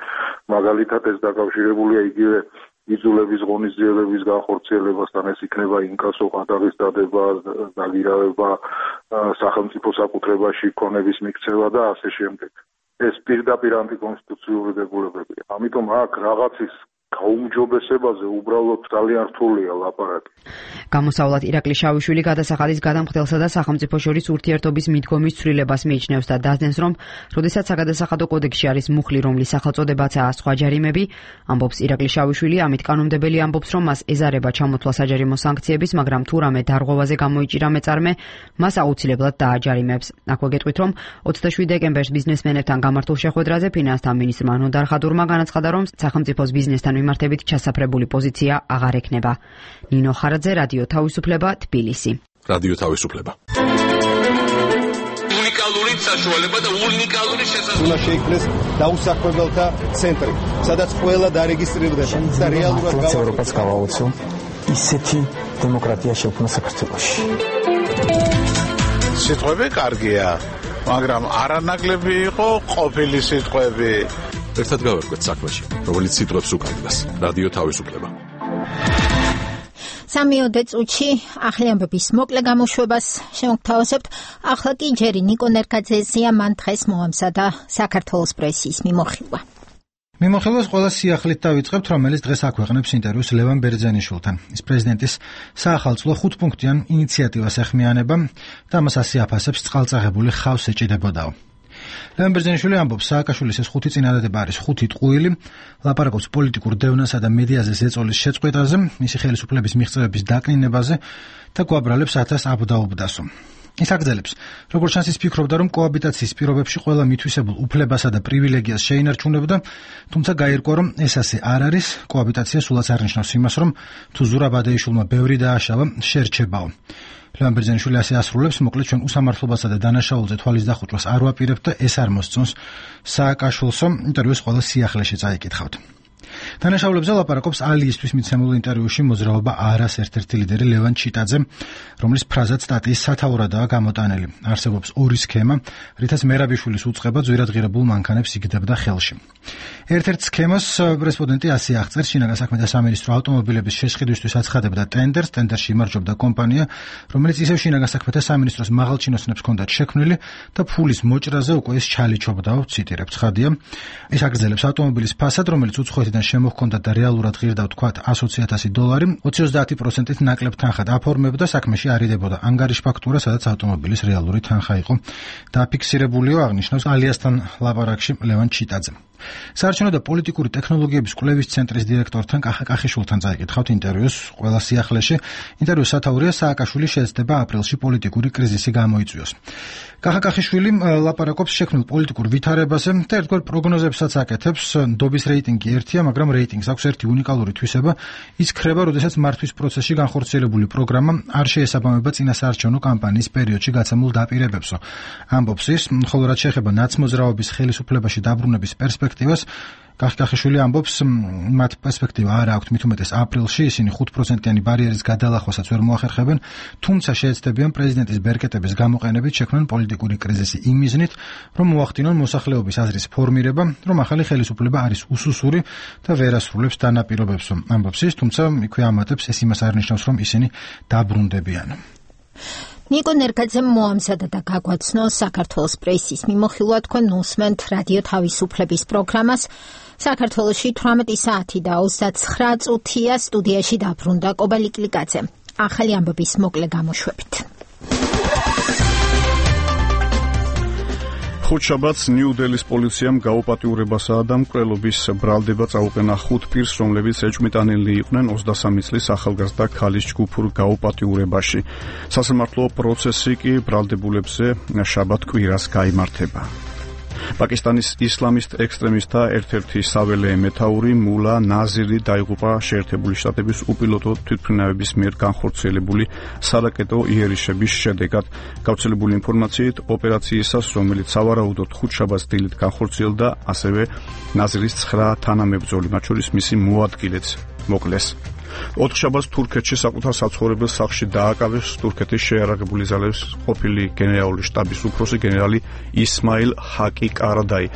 მაგალითად ეს დაკავშირებულია იგივე იძულების ღონისძიებების განხორციელებასთან, ეს იქნება ინკასო, ყადაღის დადება, დაგირავება, სახელმწიფო საკუთრებაში ქონების მიქცევა და ასე შემდეგ. ეს პირდაპირ ანტიკონსტიტუციური დებულებებია. ამიტომ აქ რაღაცის გაუმჯობესებაზე უბრალოდ ძალიან რთულია ლაპარაკი. გამოსავლად ირაკლი შავიშვილი გადასახადის გადამხდელსა და სახელმწიფო შორის ურთიერთობის მიდგომის ცვლილებას მიიჩნევს და დასდენს, რომ როდესაც საგადასახადო კოდექსში არის მუხლი, რომლის სახელწოდებაცაა სხვა ჯარიმები, ამბობს ირაკლი შავიშვილი, ამით კანონმდებელი ამბობს, რომ მას ეზარება ჩამოთვლა საჯარიმო სანქციების, მაგრამ თუ რამე დარღვევაზე გამოიჭირა მეწარმე, მას აუცილებლად დააჯარიმებს. აქვე გეტყვით, რომ ოცდაშვიდი დეკემბერს ბიზნესმენებთან გამართულ შეხვედრაზე ფინანსთა მინისტრმა ნოდარ ხადურმა განაცხადა, რომ სახელმწიფოს ბიზნესთან მიმართებით ჩასაფრებული პოზიცია აღარ ექნება. ნინო ხარაძე, რადიო თავისუფლება, თბილისი. რადიო თავისუფლება. უნიკალური საშუალება და უნიკალური შესაძლებლობა. უნდა შეიქმნეს დაუსახლებელთა ცენტრი, სადაც ყველა დარეგისტრირდება და რეალურად ევროპას გავაოცო ისეთი დემოკრატია შექმნა საქართველოში. სიტყვები კარგია, მაგრამ არანაკლები იყო ყოფილი სიტყვები. ერთად გავერკვეთ საქმეში, რომელიც სიტყვებს უკავშირდება. რადიო თავისუფლება. სამიოდე წუთში ახალი ამბების მოკლე გამოშვებას შევგთავაზებთ. ახლა კი ჯერი ნიკო ნერგაძეზია, მან დღეს მოამზადა საქართველოს პრესის მიმოხილვა. მიმოხილვას ყველა სიახლით დავიწყებთ, რომელიც დღეს აქვეყნებს ინტერვიუს ლევან ბერძენიშვილთან. ის პრეზიდენტის საახალწლო ხუთპუნქტიან ინიციატივას ეხმიანება და მას ასე აფასებს: წყალწაღებული ხავს ეჭიდებოდაო. ლევან ბერძენიშვილი ამბობს, სააკაშვილის ეს ხუთი წინადადება არის ხუთი ტყუილი, ლაპარაკობს პოლიტიკურ დევნასა და მედიაზე ზეწოლის შეწყვეტაზე, მისი ხელისუფლების მიღწევების დაკნინებაზე და გვაბრალებს ათას აბდაუბდასო. ის აგრძელებს, როგორც ჩანს, ის ფიქრობდა, რომ კოაბიტაციის პირობებში ყველა მითვისებულ უფლებასა და პრივილეგიას შეინარჩუნებდა, თუმცა გაირკვა, რომ ეს ასე არ არის. კოაბიტაცია სულაც არ ნიშნავს იმას, რომ თუ ზურაბ ადეიშვილმა ბევრი დააშალა, შერჩებაო. ლევან ბერძენიშვილი ასე ასრულებს, მოკლედ ჩვენ უსამართლობასა და დანაშაულზე თვალის დახუჭვას არ ვაპირებთ და ეს არ მოსწონს სააკაშვილსო. ინტერვიუს ყველა სიახლეში წაიკითხავთ. დანაშაულებზე ლაპარაკობს ალიისთვის მიცემულ ინტერვიუში მოძრაობა არას ერთ-ერთი ლიდერი ლევან ჩიტაძე, რომლის ფრაზად სტატიის სათაურადაა გამოტანილი. არსებობს ორი სქემა, რითაც მერაბიშვილის უწყება ძვირადღირებულ მანქანებს იგდებდა ხელში. ერთ-ერთ სქემას პრესპონდენტი ასე აღწერს: შინაგან საქმეთა სამინისტრო ავტომობილების შეშყიდვისთვის აცხადებდა ტენდერს, ტენდერში იმარჯვებდა კომპანია, რომელიც ისევ შინაგან საქმეთა სამინისტროს მაღალჩინოსნებს ჰქონდათ შექმნილი და ფულის მოჭრაზე უკვე ის ჩალიჩობდაო, ციტირებ, ცხადია. ის აგრძელებს ავტომობილის ფასად, რომელიც უცხოეთიდან შემოჰქონდა და რეალურად ღირდა ვთქვათ ათი ათასი დოლარი, ოცი ოცდაათი პროცენტით ნაკლებ თანხად აფორმებდა, საქმეში არიდებოდა ანგარიშ ფაქტურა, სადაც ავტომობილის რეალური თანხა იყო დაფიქსირებულიო, აღნიშნავს ალიასთან ლაპარაკში ლევან ჩიტაძე. საარჩევნო და პოლიტიკური ტექნოლოგიების კვლევის ცენტრის დირექტორთან კახა კახიშვილთან წაიკითხავთ ინტერვიუს ყველა სიახლეში. ინტერვიუს სათაურია: სააკაშვილი შეეცდება აპრილში პოლიტიკური კრიზისი გამოიწვიოს. კახა კახიშვილი ლაპარაკობს შექმნილ პოლიტიკურ ვითარებაზე და ერთგვარ პროგნოზებსაც აკეთებს. ნდობის რეიტინგი ერთია, მაგრამ რეიტინგს აქვს ერთი უნიკალური თვისება: ის ქრება, როდესაც მართვის პროცესში განხორციელებული პროგრამა არ შეესაბამება წინა საარჩევნო კამპანიის პერიოდში გაცემულ დაპირებებსო. ამბობს ის, ხოლო რაც შეეხება ნაცმოძრაობის ხელისუფლებაში დაბრუნების პერსპექტივას, კახკახიშვილი ამბობს, მათ პერსპექტივა არ აქვთ, მით უმეტეს აპრილში ისინი ხუთ პროცენტიანი ბარიერის გადალახვასაც ვერ მოახერხებენ, თუმცა შეეცდებიან პრეზიდენტის ბერკეტების გამოყენებით შექმნან პოლიტიკური კრიზისი იმ მიზნით, რომ მოახდინონ მოსახლეობის აზრის ფორმირება, რომ ახალი ხელისუფლება არის უსუსური და ვერ ასრულებს დანაპირობებს. ამბობს ის, თუმცა იქვე ამატებს, ეს იმას არ ნიშნავს, რომ ისინი დაბრუნდებიან. ნიკო ნერგაძემ მოამზადა და გაგვაცნო საქართველოს პრესის მიმოხილვა. თქვენ უსმენთ რადიო თავისუფლების პროგრამას. საქართველოში თვრამეტი საათი და ოცდაცხრა წუთია. სტუდიაში დაბრუნდა კობა ლიკლიკაძე. ახალი ამბების მოკლე გამოშვებით. ხუთშაბათს ნიუ-დელის პოლიციამ გაუპატიურებასა და მკვლელობის ბრალდება წაუყენა ხუთ პირს, რომლებიც ეჭვმიტანილნი იყვნენ ოცდასამი წლის ახალგაზრდა ქალის ჯგუფურ გაუპატიურებაში. სასამართლო პროცესი კი ბრალდებულებზე შაბათ კვირას გაიმართება. პაკისტანის ისლამისტ ექსტრემისტთა ერთ-ერთი საველე მეთაური მულა ნაზირი დაიღუპა შეერთებული შტატების უპილოტო თვითმფრინავების მიერ განხორციელებული სარაკეტო იერიშების შედეგად. გავრცელებული ინფორმაციით, ოპერაციისას, რომელიც სავარაუდოდ ხუთშაბათს დილით განხორციელდა, ასევე ნაზირის ცხრა თანამებრძოლი, მათ შორის მისი მოადგილეც მოკლეს. ოთხშაბათს თურქეთში საკუთარ საცხოვრებელ სახლში დააკავეს თურქეთის შეიარაღებული ძალების ყოფილი გენერალური შტაბის უფროსი გენერალი ისმაილ ჰაკი კარადაი.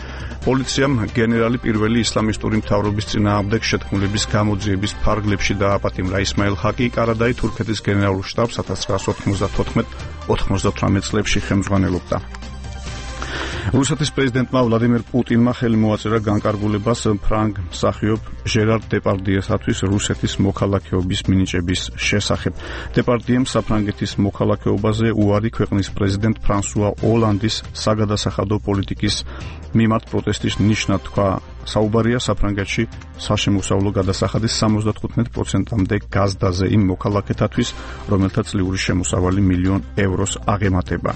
პოლიციამ გენერალი პირველი ისლამისტური მთავრობის წინააღმდეგ შეთქმულების გამოძიების ფარგლებში დააპატიმრა. ისმაილ ჰაკი კარადაი თურქეთის გენერალურ შტაბს ათას ცხრაასი ოთხმოცდათოთხმეტ ოთხმოცდათვრამეტ წლებში ხელმძღვანელობდა. რუსეთის პრეზიდენტმა ვლადიმერ პუტინმა ხელი მოაწერა განკარგულებას ფრანგ მსახიობ ჟერარ დეპარდიესათვის რუსეთის მოქალაქეობის მინიჭების შესახებ. დეპარდიემ საფრანგეთის მოქალაქეობაზე უარი ქვეყნის პრეზიდენტ ფრანსუა ოლანდის საგადასახადო პოლიტიკის მიმართ პროტესტის ნიშნად თქვა. საუბარია საფრანგეთში საშემოსავლო გადასახადის სამოცდათხუთმეტ პროცენტამდე გაზდაზე იმ მოქალაქეთათვის, რომელთა წლიური შემოსავალი მილიონ ევროს აღემატება.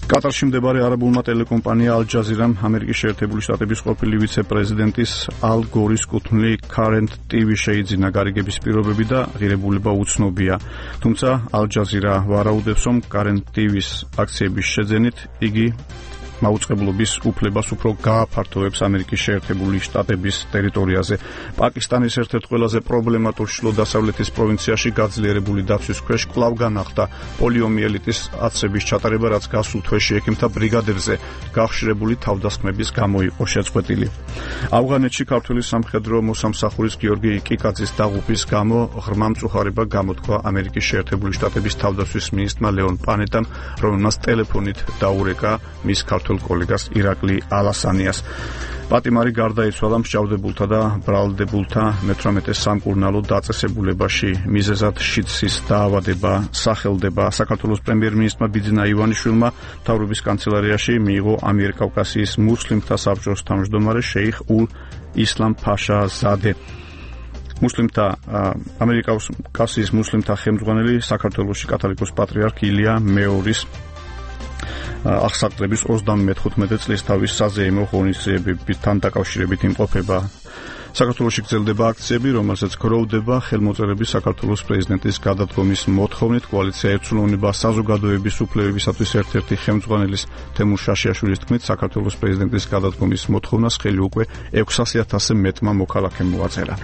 კატარში მდებარე არაბულმა ტელეკომპანია ალ-ჯაზირამ ამერიკის შეერთებული შტატების ყოფილი ვიცე-პრეზიდენტის ალ გორის კუთვნილი Current ტი ვი შეიძინა. გარიგების პირობები და ღირებულება უცნობია. თუმცა ალ-ჯაზირა ვარაუდებს, რომ Current ტი ვის აქციების შეძენით იგი მაუწყებლობის უფლებას უფრო გააფართოვებს ამერიკის შეერთებული შტატების ტერიტორიაზე. პაკისტანის ერთ-ერთ ყველაზე პრობლემატურ ჩრდილო-დასავლეთის პროვინციაში გაძლიერებული დაცვის ქვეშ კვლავ განახლდა პოლიომიელიტის აცრების ჩატარება, რაც გასულ თვეში ექიმთა ბრიგადებზე გახშირებული თავდასხმების გამო იყო შეწყვეტილი. ავღანეთში ქართული სამხედრო მოსამსახურის გიორგი კიკაძის დაღუპვის გამო ღრმა მწუხარება გამოთქვა ამერიკის შეერთებული შტატების თავდაცვის მინისტრმა ლეონ პანეტამ, რომელმაც ტელეფონით დაურეკა მის ქართულ კოლეგას ირაკლი ალასანიას. პატიმარი გარდაიცვალა მსჯავრდებულთა და ბრალდებულთა მეთვრამეტე სამკურნალო დაწესებულებაში. მიზეზად შიდსის დაავადება სახელდება. საქართველოს პრემიერ-მინისტრმა ბიძინა ივანიშვილმა მთავრობის კანცელარიაში მიიღო ამიერკავკასიის მუსლიმთა საბჭოს თავმჯდომარე შეიხ ულ ისლამ ფაშა ზადე. მუსლიმთა ამერიკავკასიის მუსლიმთა ხელმძღვანელი საქართველოში კათოლიკოს პატრიარქ ილია მეორის აღსაყდრების ოცდამეხუთმეტე წლის თავის საზეიმო ღონისძიებებთან დაკავშირებით იმყოფება. საქართველოში გრძელდება აქციები, რომელსაც გროვდება ხელმოწერების საქართველოს პრეზიდენტის გადადგომის მოთხოვნით. კოალიცია ერთსულოვნება საზოგადოების უფლებებისათვის ერთ-ერთი ხელმძღვანელის თემურ შაშიაშვილის თქმით, საქართველოს პრეზიდენტის გადადგომის მოთხოვნას ხელი უკვე ექვსასი ათასზე მეტმა მოქალაქემ მოაწერა.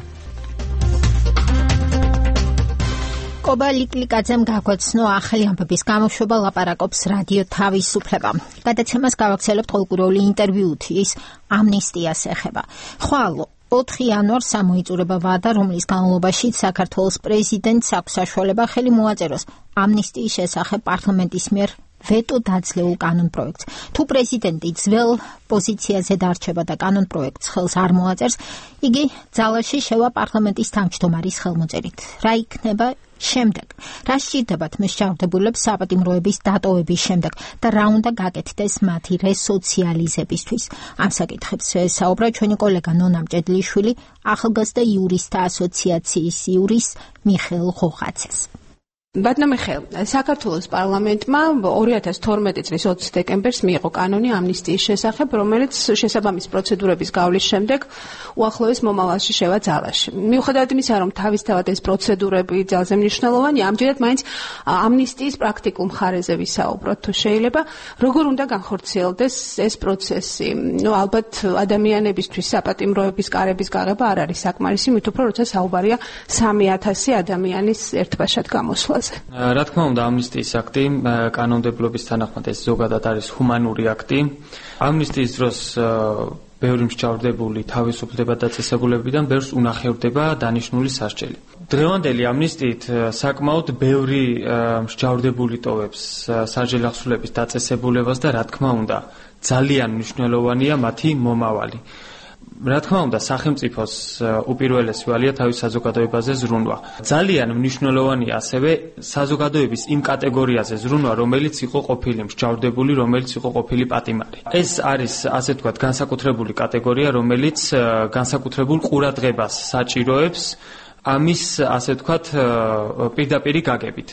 კობა ლიკლიკაძემ გაგვაცნო ახალი ამბების გამოშვება, ლაპარაკობს რადიო თავისუფლება. გადაცემას გავაგრძელებთ ყოველკვირეული ინტერვიუთ, ის ამნისტიას ეხება. ხვალ ოთხი იანვარს გამოიწურება ვადა, რომლის განმავლობაში საქართველოს პრეზიდენტს აქვს საშუალება ხელი მოაწეროს ამნისტიის შესახებ პარლამენტის მიერ ვეტო დაძლეულ კანონპროექტს. თუ პრეზიდენტი ძველ პოზიციაზე დარჩება და კანონპროექტს ხელს არ მოაწერს, იგი ძალაში შევა პარლამენტის თავმჯდომარის ხელმოწერით. რა იქნება შემდეგ? რა სჭირდებათ მსჯავრდებულებს საპატიმროების დატოვების შემდეგ და რა უნდა გაკეთდეს მათი რესოციალიზებისთვის? ამ საკითხებს საუბრა ჩვენი კოლეგა ნონა მჭედლიშვილი ახალგაზრდა იურისტთა ასოციაციის იურის მიხეილ ღოღაძეს. ბატონო მიხეილ, საქართველოს პარლამენტმა ორი ათას თორმეტი წლის ოცი დეკემბერს მიიღო კანონი ამნისტიის შესახებ, რომელიც შესაბამის პროცედურების გავლის შემდეგ უახლოეს მომავალში შევა ძალაში. მიუხედავად იმისა, რომ თავისთავად ეს პროცედურები ძალზე მნიშვნელოვანია, ამჯერად მაინც ამნისტიის პრაქტიკულ მხარეზე ვისაუბროთ, თუ შეიძლება, როგორ უნდა განხორციელდეს ეს პროცესი. ნუ ალბათ ადამიანებისთვის საპატიმროების კარების გაღება არ არის საკმარისი, მით უფრო როცა საუბარია სამი ათასი ადამიანის ერთბაშად გამოსვლა. რა თქმა უნდა, ამნისტიის აქტი კანონმდებლობის თანახმად ეს ზოგადად არის ჰუმანური აქტი. ამნისტიის დროს ბევრი მსჯავრდებული თავისუფლდება დაწესებულებიდან ბევრს უნახევდება დანიშნული სასჯელი. დღევანდელი ამნისტიით საკმაოდ ბევრი მსჯავრდებული ტოვებს სასჯელი ახსულების დაწესებულებას და რა თქმა უნდა, ძალიან მნიშვნელოვანია მათი მომავალი. რა თქმა უნდა, სახელმწიფოს უპირველესი ვალია თავის საზოგადოებაზე ზრუნვა. ძალიან მნიშვნელოვანია ასევე საზოგადოების იმ კატეგორიაზე ზრუნვა, რომელიც იყო ყოფილი მსჯავრდებული, რომელიც იყო ყოფილი პატიმარი. ეს არის, ასე ვთქვათ, განსაკუთრებული კატეგორია, რომელიც განსაკუთრებულ ყურადღებას საჭიროებს ამის, ასე ვთქვათ, პირდაპირი გაგებით.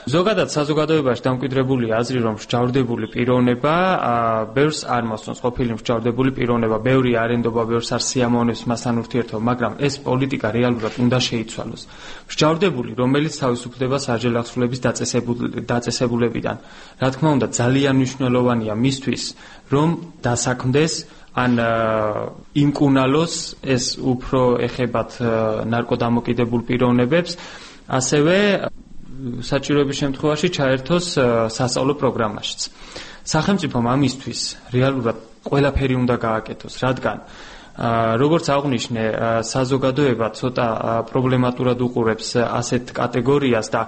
ზოგადად საზოგადოებაში დამკვიდრებული აზრი, რომ მსჯავრდებული პიროვნება ბევრს არ მოსწონს, ყოფილი მსჯავრდებული პიროვნება, ბევრი არენდობა, ბევრს არ სიამოვნებს მასთან ურთიერთობა, მაგრამ ეს პოლიტიკა რეალურად უნდა შეიცვალოს. მსჯავრდებული, რომელიც თავისუფლდება საჯელახსრულების დაწესებულებიდან, რა თქმა უნდა, ძალიან მნიშვნელოვანია მისთვის, რომ დასაქმდეს ან იმკუნალოს ეს უფრო ეხებათ ნარკოდამოკიდებულ პიროვნებებს, ასევე საჭიროების შემთხვევაში ჩაერთოს სასწავლო პროგრამაშიც. სახელმწიფომ ამისთვის რეალურად ყველაფერი უნდა გააკეთოს, რადგან როგორც აღვნიშნე, საზოგადოება ცოტა პრობლემატურად უყურებს ასეთ კატეგორიას და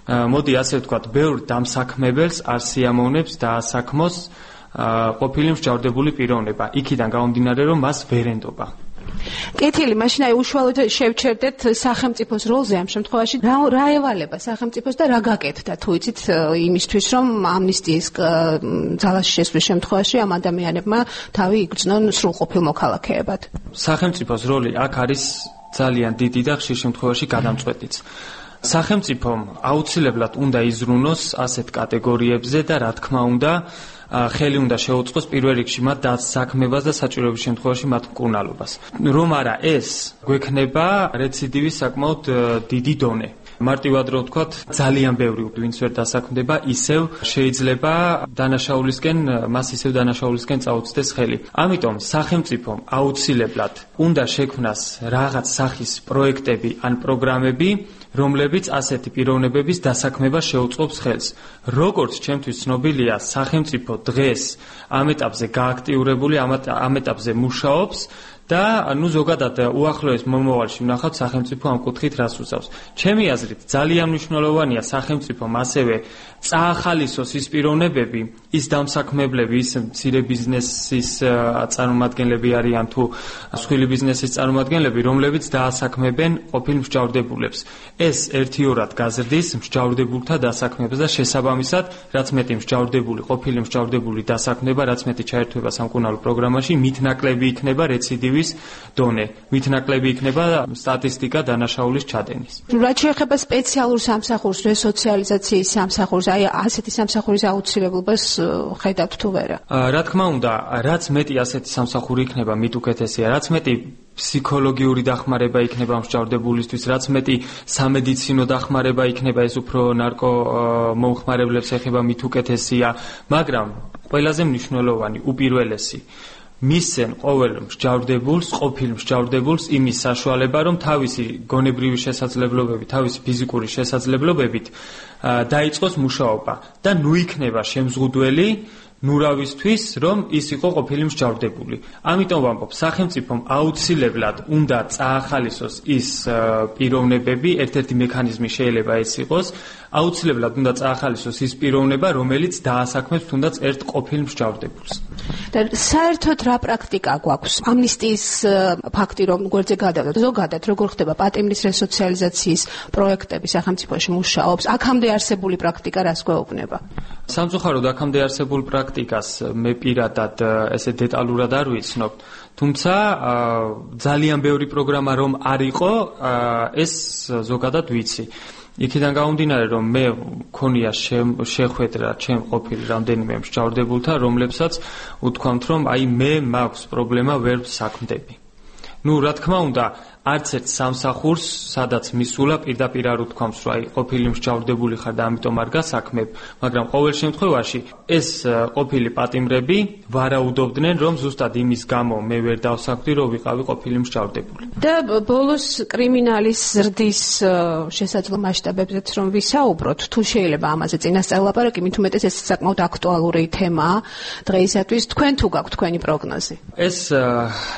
მოდი ასე ვთქვათ, ბევრ დამსაქმებელს არ სიამოვნებს დაასაქმოს ყოფილი მსჯავრდებული პიროვნება, იქიდან გამომდინარე, რომ მას ვერ ენდობა. კეთილი, მაშინ აი უშუალოდ შევჩერდეთ სახელმწიფოს როლზე ამ შემთხვევაში. რა რა ევალება სახელმწიფოს და რა გაკეთდა თუ იცით იმისთვის, რომ ამნისტიის ძალაში შესვლის შემთხვევაში ამ ადამიანებმა თავი იგრძნონ სრულყოფილ მოქალაქეებად. სახელმწიფოს როლი აქ არის ძალიან დიდი და ხშირ შემთხვევაში გადამწყვეტიც. სახელმწიფომ აუცილებლად უნდა იზრუნოს ასეთ კატეგორიებზე და რა თქმა უნდა ხელი უნდა შეუწყოს პირველ რიგში მათ დასაქმებას და საჭიროების შემთხვევაში მათ მკურნალობას. რომ არა ეს გვექნება რეციდივის საკმაოდ დიდი დონე. მარტივად რო ვთქვათ, ძალიან ბევრი ვინც ვერ დასაქმდება, ისევ შეიძლება დანაშაულისკენ, მას ისევ დანაშაულისკენ წაუწდეს ხელი. ამიტომ სახელმწიფომ აუცილებლად უნდა შექმნას რაღაც სახის პროექტები ან პროგრამები, რომლებიც ასეთი პიროვნებების დასაქმებას შეუწყობს ხელს. როგორც ჩემთვის ცნობილია, სახელმწიფო დღეს ამ ეტაპზე გააქტიურებული, ამ ეტაპზე მუშაობს და ნუ ზოგადად უახლოეს მომავალში ვნახავთ სახელმწიფო ამ კუთხით რას უსწავს. ჩემი აზრით ძალიან მნიშვნელოვანია სახელმწიფომ ასევე წაახალისოს ის პიროვნებები, ის დამსაქმებლები, ის მცირე ბიზნესის წარმომადგენლები არიან თუ სხვილი ბიზნესის წარმომადგენლები, რომლებიც დაასაქმებენ ყოფილ მსჯავრდებულებს. ეს ერთიორად გაზრდის მსჯავრდებულთა დასაქმებას და შესაბამისად, რაც მეტი მსჯავრდებული, ყოფილი მსჯავრდებული დასაქმდება, რაც მეტი ჩაერთვება სამკურნალო პროგრამაში, მით ნაკლები იქნება რეციდივის დონე, მით ნაკლები იქნება სტატისტიკა დანაშაულის ჩადენის. რაც შეეხება სპეციალურ სამსახურს, რესოციალიზაციის სამსახურს, აი ასეთი სამსახურის აუცილებლობას ხედავთ თუ არა? რა თქმა უნდა, რაც მეტი ასეთი სამსახური იქნება, მით უკეთესია, რაც მეტი ფსიქოლოგიური დახმარება იქნება მსჯავრდებულისთვის, რაც მეტი სამედიცინო დახმარება იქნება, ეს უფრო ნარკო მომხმარებლებს ეხება, მით უკეთესია, მაგრამ ყველაზე მნიშვნელოვანი, უპირველესი მისცენ ყოველ მსჯავრდებულს, ყოფილ მსჯავრდებულს იმის საშუალება, რომ თავისი გონებრივი შესაძლებლობები, თავისი ფიზიკური შესაძლებლობებით დაიწყოს მუშაობა და ნუ იქნება შემზღუდველი ნურავისთვის, რომ ის იყო ყოფილი მსჯავრდებული. ამიტომ ვამბობ, სახელმწიფომ აუცილებლად უნდა წაახალისოს ის პიროვნებები, ერთ-ერთი მექანიზმი შეიძლება ეს იყოს, აუცილებლად უნდა წაახალისოს ის პიროვნება, რომელიც დაასაქმებს თუნდაც ერთ ყოფილ მსჯავრდებულს. და საერთოდ რა პრაქტიკა გვაქვს? ამნისტიის ფაქტი რომ გვერდზე გადავდოთ, ზოგადად როგორ ხდება პატიმრის რესოციალიზაციის პროექტები სახელმწიფოში მუშაობს? აქამდე არსებული პრაქტიკა რას გვეუბნება? სამწუხაროდ აქამდე არსებულ პრაქტიკას მე პირადად ესე დეტალურად არ ვიცნობ, თუმცა ძალიან ბევრი პროგრამა რომ არ იყო, ეს ზოგადად ვიცი. იქიდან გამომდინარე, რომ მე მქონია შეხვედრა ჩემ ყოფილ რამდენიმე მსჯავრდებულთან, რომლებსაც უთქვამთ, რომ აი მე მაქვს პრობლემა, ვერ საქმდები. ნუ რა თქმა უნდა, არც ერთ სამსახურს, სადაც მისულა პირდაპირ არ უთქვამს, რომ აი ყოფილი მსჯავრდებული ხარ და ამიტომ არ გასაქმებ, მაგრამ ყოველ შემთხვევაში ეს ყოფილი პატიმრები ვარაუდობდნენ, რომ ზუსტად იმის გამო მე ვერ დავსაქმდი, რომ ვიყავი ყოფილი მსჯავრდებული. და ბოლოს კრიმინალის ზრდის შესაძლო მასშტაბებზეც რომ ვისაუბროთ, თუ შეიძლება ამაზე წინასწარ ლაპარაკი, მით უმეტეს ეს საკმაოდ აქტუალური თემაა დღეისათვის. თქვენ თუ გაქვთ თქვენი პროგნოზი? ეს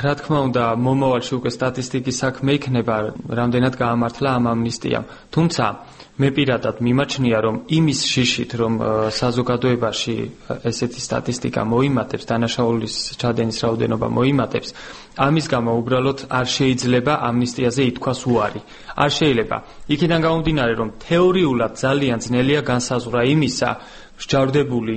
რა თქმა უნდა მომავალში უკვე სტატისტიკის საქმე იქნება, რამდენად გაამართლა ამ ამნისტიამ. თუმცა მე პირადად მიმაჩნია, რომ იმის შიშით, რომ საზოგადოებაში ესეთი სტატისტიკა მოიმატებს, დანაშაულის ჩადენის რაოდენობა მოიმატებს, ამის გამო უბრალოდ არ შეიძლება ამნისტიაზე ითქვას უარი. არ შეიძლება. იქიდან გამომდინარე, რომ თეორიულად ძალიან ძნელია განსაზღვრა იმისა, მსჯავრდებული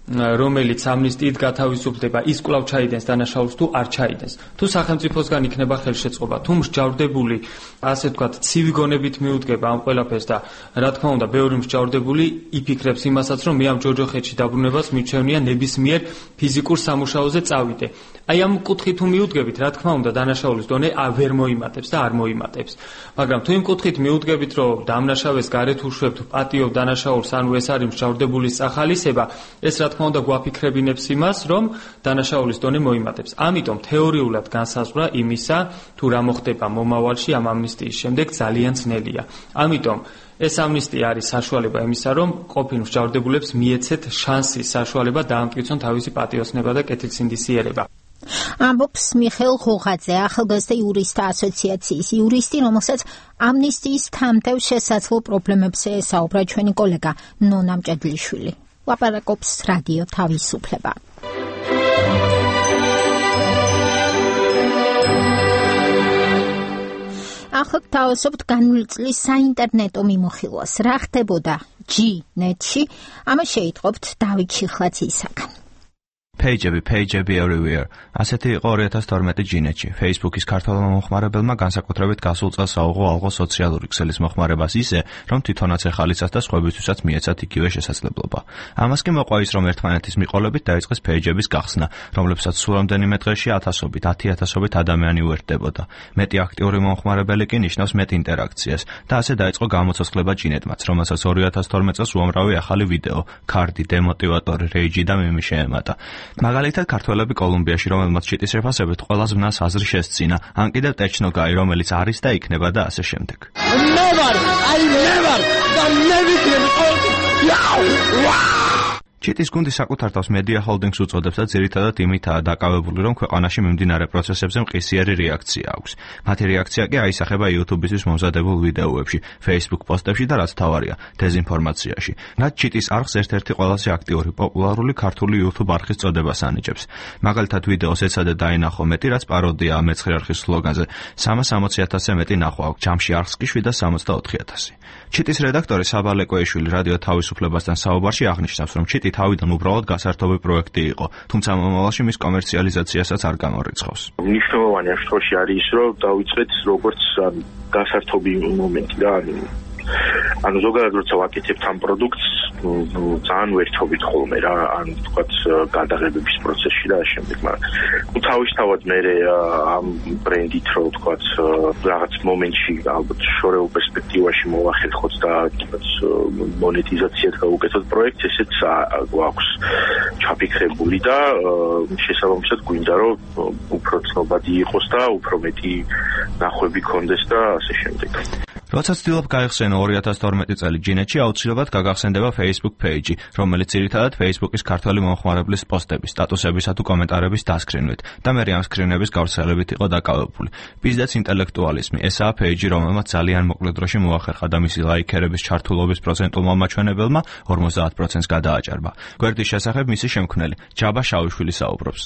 რომელიც ამნისტიით გათავისუფლდება, ის კვლავ ჩაიდენს დანაშაულს თუ არ ჩაიდენს. თუ სახელმწიფოსგან იქნება ხელშეწყობა, თუ მსჯავრდებული, ასე ვთქვათ, ცივი გონებით მიუდგება ამ ყველაფერს და რა თქმა უნდა, ბევრი მსჯავრდებული იფიქრებს იმასაც, რომ მე ამ ჯოჯოხეთში დაბრუნებას მიჩვენია ნებისმიერ ფიზიკურ სამუშაოზე წავიდე. აი ამ კუთხით თუ მიუდგებით, რა თქმა უნდა, დანაშაულის დონე ვერ მოიმატებს და არ მოიმატებს. მაგრამ თუ იმ კუთხით მიუდგებით, რომ დამნაშავეს გარეთ უშვებთ, პატიობ დანაშაულს, ანუ ეს არის მსჯავრდებულის სახალისება, ეს რა თქმა უნდა გვაფიქრებინებს იმას, რომ დანაშაულის დონე მოიმატებს. ამიტომ თეორიულად განსაზღვრა იმისა, თუ რა მოხდება მომავალში ამ ამნისტიის შემდეგ ძალიან ძნელია. ამიტომ ეს ამნისტია არის საშუალება იმისა, რომ ყოფილ მსჯავრდებულებს მიეცეთ შანსი, საშუალება დაამტკიცონ თავისი პატიოსნება და კეთილსინდისიერება. ამბობს მიხეილ ღოღაძე, ახალგაზრდა იურისტთა ასოციაციის იურისტი, რომელსაც ამნისტიის თამდევ შესაძლო პრობლემებზე ესაუბრა ჩვენი კოლეგა ნონა მჭედლიშვილი. ლაპარაკობს რადიო თავისუფლება. ახლა თავისუფლად განვლილი წლის საინტერნეტო მიმოხილვას. რა ხდებოდა ჯი-ნეტში? ამას შეიტყობთ დავით შიხლაძისაგან. Pageები, pageები everywhere. ასეთი იყო ორი ათას თორმეტი ჯინეთში. Facebook-ის ქართველმა მომხმარებელმა განსაკუთრებით გასულ წელს აუღო ალღო სოციალური ქსელის მოხმარებას ისე, რომ თვითონაც ეხალისას და სხვებისთვისაც მიეცათ იგივე შესაძლებლობა. ამას კი მოყვა ის, რომ ერთმანეთის მიყოლებით დაიწყეს pageების გახსნა, რომლებსაც სულ რამდენიმე დღეში ათასობით, ათი ათასობით ადამიანი უერთდებოდა. მეტი აქტიური მომხმარებელი კი ნიშნავს მეტ ინტერაქციას და ასე დაიწყო გამოცოცხლება ჯინეთმაც, რომელსაც ორი ათას თორმეტ წელს უამრავი ახალი ვიდეო, ქარდი, დემოტივატორი, რეიჯი და მიმი შეემატა. მაგალითად, ქართველები კოლუმბიაში, რომელმაც ჩიტის შეფასებით ყველა ზმნას აზრი შესძინა, ან კიდევ ტეჩნოგაი, რომელიც არის და იქნება და ასე შემდეგ. Never, I never, ჩიტის გუნდი საკუთარ თავს Media Holdings უწოდებს და ძირითადად იმითაა დაკავებული, რომ ქვეყანაში მიმდინარე პროცესებზე მყისიერი რეაქცია აქვს. მათი რეაქცია კი აისახება YouTube-ისთვის მომზადებულ ვიდეოებში, Facebook პოსტებში და რაც თავარია, დეზინფორმაციაში. რაც ჩიტის არხს ერთ-ერთი ყველაზე აქტიური, პოპულარული ქართული YouTube არხის წოდებას ანიჭებს. მაგალითად, ვიდეოს ეცადე დაინახო მეტი, რაც პაროდიაა მეცხრე არხის სლოგანზე. სამას ოცი ათასზე მეტი ნახვა აქვს, ჯამში არხს კი შვიდას სამოცდაოთხი ათასი. ჩიტის რედაქტორი საბალე კვეიშვილი რადიო თავისუფლებასთან საუბარში აღნიშნავს, რომ ჩიტი თავიდან უბრალოდ გასართობი პროექტი იყო, თუმცა მომავალში მის კომერციალიზაციასაც არ გამორიცხავს. მნიშვნელოვანი ამ შემთხვევაში არის ის, რომ დავიწყეთ როგორც გასართობი მომენტი და ანუ ზოგადად როცა ვაკეთებთ ამ პროდუქტს, ძალიან ვერთობით ხოლმე რა, ან თქვათ გადაღებების პროცესში და ამ შემდეგ, მაგრამ ну თავისთავად მე ამ ბრენდით რო თქვათ რაღაც მომენტში ალბათ შორეულ პერსპექტივაში მოვახერხოთ და თქვათ მონეტიზაციად გავუკეთოთ პროექტს, ესეც გვაქვს ჩაფიქრებული და შესაბამისად გვინდა რომ უფრო ცნობადი იყოს და უფრო მეტი ნახვები ქონდეს და ასე შემდეგ. როცა ცდილობ გაიხსენო ორი ათას თორმეტი წელი ჯინეთში, აუცილებლად გაგახსენდება Facebook page-ი, რომელიც ძირითადად Facebook-ის ქართველი მომხმარებლის პოსტების, სტატუსებისა თუ კომენტარების დასკრინვით და მე ამ სკრინების გავრცელებით იყო დაკავებული. Business ინტელექტუალიზმი, ესაა page-ი, რომელმაც ძალიან მოკლე დროში მოახერხა და მისი ლაიქერების ჩართულობის პროცენტულმა მაჩვენებელმა ორმოცდაათ პროცენტს გადააჭარბა. გვერდის შესახებ მისი შემქმნელი ჯაბა შავიშვილი საუბრობს.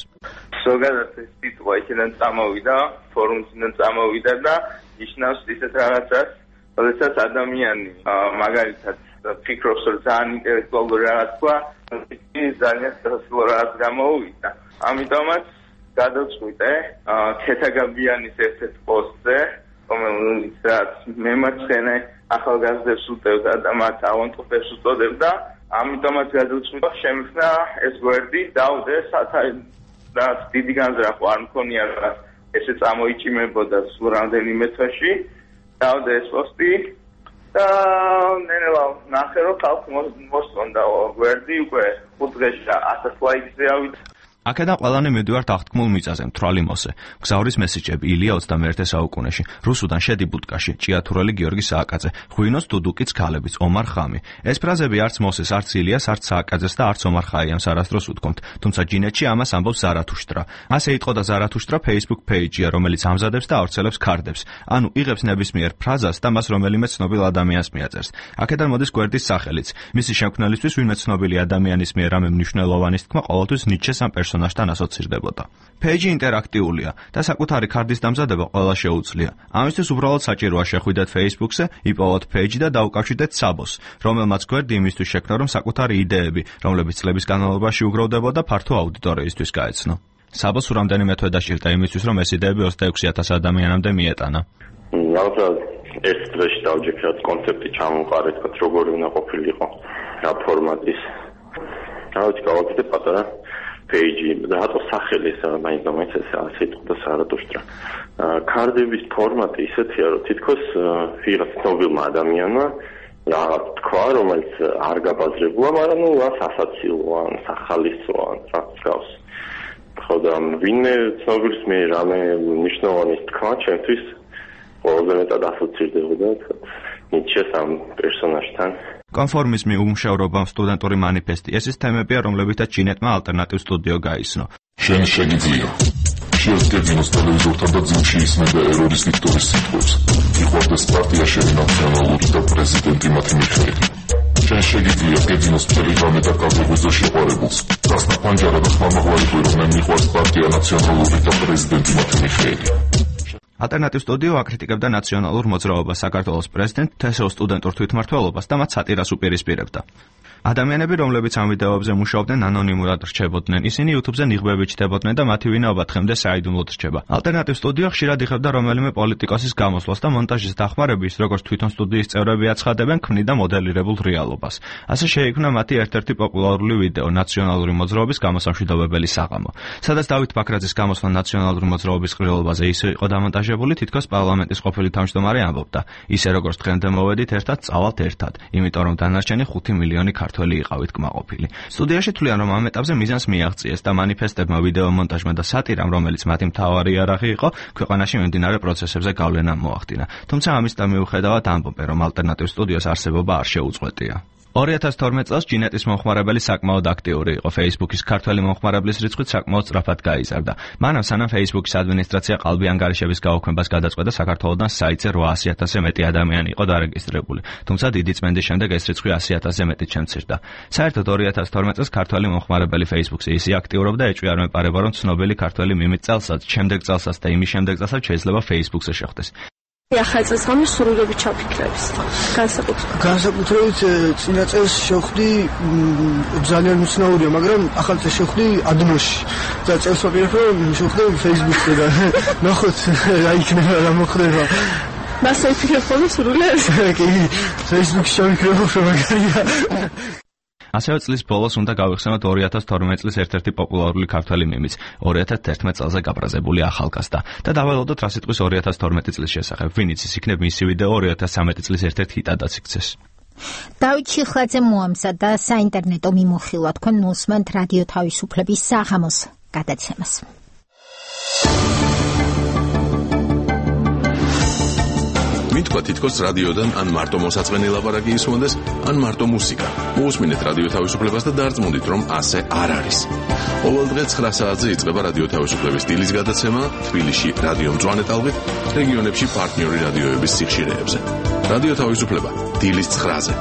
ზოგადად ეს სიტყვა იქიდან წამოვიდა, ფორუმიდან წამოვიდა და ნიშნავს ისეთ რაღაცას, როდესაც ადამიანი მაგალითად ფიქრობს, რომ ძალიან ინტელექტუალური რაღაც თქვა, ის ძალიან სასწავლო რაღაც გამოუვიდა. ამიტომაც გადავწყვიტე ქეთაგაბიანის ერთ-ერთ პოსტზე, რომელიც რაც მემარცხენე ახალგაზრდებს უტევდა და მათ ავანტყოფებს უწოდებდა, ამიტომაც გადავწყვიტე შემიხსნა ეს გვერდი, დავდე და დიდი განზრახვა არ მქონია რაღაც ესე წამოიჭიმებოდა სულ რამდენიმე თვეში. დავდე ეს პოსტი და ნელა ნახე რომ ხალხი მოსწონდა გვერდი უკვე ხუთ დღეში ათას ლაიქზე ავიდა. აქედან ყველანი მივდივართ აღთქმულ მიწაზე, მთვრალი მოსე. მგზავრის მესიჯები ილია ოცდამეერთე საუკუნეში. რუსუდან შედი ბუტკაში, ჭიათურელი გიორგი სააკაძე, ღვინოს დუდუკიც ქალებიც, ომარ ხამი. ეს ფრაზები არც მოსეს, არც ილიას, არც სააკაძეს და არც ომარ ხაიამს არასდროს უთქვამთ. თუმცა ჯინეთში ამას ამბობს ზარათუშტრა. ასე იტყოდა ზარათუშტრა Facebook page-ია, რომელიც ამზადებს და ავრცელებს ქარდებს. ანუ იღებს ნებისმიერ ფრაზას და მას რომელიმე ცნობილ ადამიანს მიაწერს. აქედან მოდის გვერდის სახელიც. მისი შემქმნელისთვის ვინმე ცნობილი ადამიანის მიერ რამე მნიშვნელოვანის თქმა ყოველთვის ნიჩეს ამ პერსონაჟს პერსონაჟთან ასოცირდებოდა. Page ინტერაქტიულია და საკუთარი ქარდის დამზადება ყველა შეუძლია. ამისთვის უბრალოდ საჭიროა შეხვიდეთ Facebook-ზე, იპოვოთ Page და დაუკავშირდეთ საბოს, რომელმაც გვერდი იმისთვის შექმნა, რომ საკუთარი იდეები, რომლებიც წლების განმავლობაში უგროვდებოდა, ფართო აუდიტორიისთვის გაეცნო. საბოს რამდენიმე თვე დაჭირდა იმისთვის, რომ ეს იდეები ოცდაექვსი ათასი ადამიანამდე მიეტანა. ალბათ ერთ დღეში დავჯექრათ კონცეფტი ჩამოვყარეთ, როგორი უნდა ყოფილიყო რა ფორმატის. დავით გავაკეთე პატარა Page და რატო სახელი ეს მაინც მაინც ეს ასე და სარატოშტრა. ქარდების ფორმატი ისეთია, რომ თითქოს ვიღაც ცნობილმა ადამიანმა რაღაც თქვა, რომელიც არ გაბაზრებულა, მაგრამ ნუ რა სასაცილოა, სახალისოა, რაც გავს. ხო და ვინმე ცნობილს მე რამე მნიშვნელოვანი თქვა, ჩემთვის ყველაზე მეტად ასოცირდებოდა ნიჩეს ამ პერსონაჟთან. კონფორმიზმი, უმუშევრობა, სტუდენტური მანიფესტი, ეს ის თემებია, რომლებითაც ჩინეთმა ალტერნატივ სტუდიო გაიცნო. შენ შეგიძლია შეესწავლოს ტელევიზორთან და ძილში ისმენდა ერორის ვიქტორის სიტყვებს. იყვარდეს პარტია შენი ნაციონალური და პრეზიდენტი მათი მიხეილი. შენ შეგიძლია გეძინოს ტელეგრამზე და კავშირზე შეყვარებულს. დასნა პანჯარა და ხმამაღლარი რომ მე მიყვარს პარტია ნაციონალური და პრეზიდენტი მათი მიხეილი. ალტერნატივ სტუდიო აკრიტიკებდა ნაციონალურ მოძრაობას, საქართველოს პრეზიდენტ თესო სტუდენტურ თვითმმართველობას და მათ სატირას უპირისპირებდა. ადამიანები, რომლებიც ამ ვიდეოებზე მუშაობდნენ, ანონიმურად რჩებოდნენ. ისინი YouTube-ზე ნიღბებით ჩდებოდნენ და მათი ვინაობა დღემდე საიდუმლოდ რჩება. ალტერნატივ სტუდიო ხშირად იხებდა რომელიმე პოლიტიკოსის გამოსვლას და მონტაჟის დახმარების, როგორც თვითონ სტუდიის წევრები აცხადებენ, ქმნიდა მოდელირებულ რეალობას. ასე შეიქმნა მათი ერთ-ერთი პოპულარული ვიდეო ნაციონალური მოძრაობის გამოსამშვიდობებელი საღამო. სადაც დავით ბაქრაძის გამოსვლა ნაციონალური მოძრაობის ყრილობაზე ისე იყო დამონტაჟებული, თითქოს პარლამენტის ყოფილი თავმჯდომარე ამბობდა: ისე როგორც დღემდე მოვედით ერთად, წავალთ ერთად, იმიტომ რომ დანარჩენი ხუთი მილიონი ქართველი იყავით კმაყოფილი. სტუდიაში თვლიან, რომ ამ ეტაპზე მიზანს მიაღწიეს და მანიფესტებმა, ვიდეო მონტაჟმა და სატირამ, რომელიც მათი მთავარი იარაღი იყო, ქვეყანაში მიმდინარე პროცესებზე გავლენა მოახდინა. თუმცა ამისთან მიუხედავად ამბობენ, რომ ალტერნატივ სტუდიოს არსებობა არ შეუწყვეტია. ორი ათას თორმეტ წელს ჩინეთის მომხმარებელი საკმაოდ აქტიური იყო. Facebook-ის ქართველი მომხმარებლის რიცხვი საკმაოდ სწრაფად გაიზარდა. მანამ სანამ Facebook-ის ადმინისტრაცია ყალბი ანგარიშების გაუქმებას გადაწყვეტა, საქართველოდან საიტზე რვაასი ათასზე მეტი ადამიანი იყო დარეგისტრირებული. თუმცა დიდი წმენდის შემდეგ ეს რიცხვი ასი ათასზე მეტით შემცირდა. საერთოდ ორი ათას თორმეტ წელს ქართველი მომხმარებელი Facebook-ზე ისე აქტიურობდა, ეჭვი არ მეპარება, რომ ცნობილი ქართველი მიმით წელსაც, შემდეგ წელსაც და იმის შემდეგ წელსაც შეიძლება Facebook-ზე შეხვდეს. ახალ წელს გამი სრულიობით ჩაფიქრებს. განსაკუთრებით. განსაკუთრებით წინა წელს შევხვდი ძალიან უცნაურია, მაგრამ ახალ წელს შევხვდი ადნოში. და წელს ვაპირებ რომ შევხვდი Facebook-ზე და ნახოთ რა იქნება, რა მოხდება. მასე ვიფიქრებ ხოლმე სრულიად. კი, Facebook-ში შევფიქრებ რომ მაგარია. ასევე წლის ბოლოს უნდა გავიხსენოთ ორი ათას თორმეტ წლის ერთ-ერთი პოპულარული ქართველი მემიც, ორი ათას თერთმეტ წელზე გაბრაზებული ახალგაზრდა და დავალოდოთ რა სიტყვის ორი ათას თორმეტი წლის შესახებ. ვინ იცის, იქნებ მისი ვიდეო ორი ათას ცხრამეტი წლის ერთ-ერთ ჰიტადაც იქცეს. დავით ჩიხლაძე მოამზადა საინტერნეტო მიმოხილვა, თქვენ ნუსმენთ რადიო თავისუფლების საღამოს გადაცემას. მითქვა თითქოს რადიოდან ან მარტო მოსაწყენი ლაპარაკი ისმოდეს, ან მარტო მუსიკა. მოусმინეთ რადიო თავისუფლებას და დარწმუნდით, რომ ასე არ არის. ყოველდღე ცხრა საათზე იწყება რადიო თავისუფლების დილის გადაცემა თბილისში რადიო მწვანე ტალღით, რეგიონებში პარტნიორი რადიოების სიხშირეებზე. რადიო თავისუფლება დილის ცხრაზე.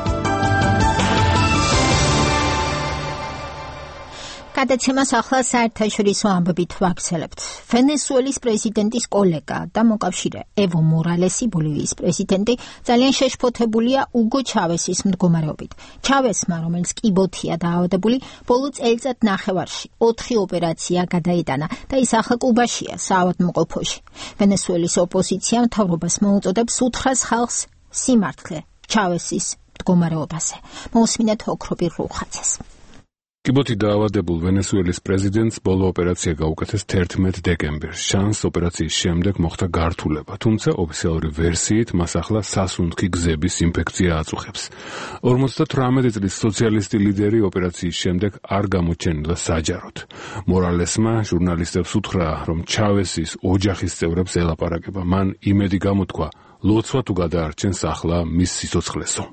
გადაცემას ახლა საერთაშორისო ამბებით ვაგრძელებთ. ვენესუელის პრეზიდენტის კოლეგა და მოკავშირე ევო მორალესი, ბოლივიის პრეზიდენტი, ძალიან შეშფოთებულია უგო ჩავესის მდგომარეობით. ჩავესმა, რომელიც კიბოთია დაავადებული, ბოლო წელიწად ნახევარში ოთხი ოპერაცია გადაიტანა და ის ახლა კუბაშია, საავადმყოფოში. ვენესუელის ოპოზიცია მთავრობას მოუწოდებს უთხრას ხალხს სიმართლე ჩავესის მდგომარეობაზე. მოусმინეთ ოქროპირ რუხაძეს. კიბოთი დაავადებულ ვენესუელის პრეზიდენტს ბოლო ოპერაცია გაუკეთეს თერთმეტ დეკემბერს. შანს ოპერაციის შემდეგ მოხდა გართულება, თუმცა ოფიციალური ვერსიით მას ახლა სასუნთქი გზების ინფექცია აწუხებს. ორმოცდათვრამეტი წლის სოციალისტი ლიდერი ოპერაციის შემდეგ არ გამოჩენილა საჯაროდ. მორალესმა ჟურნალისტებს უთხრა, რომ ჩავესის ოჯახის წევრებს ელაპარაკება. მან იმედი გამოთქვა, ლოცვა თუ გადაარჩენს ახლა მის სიცოცხლესო.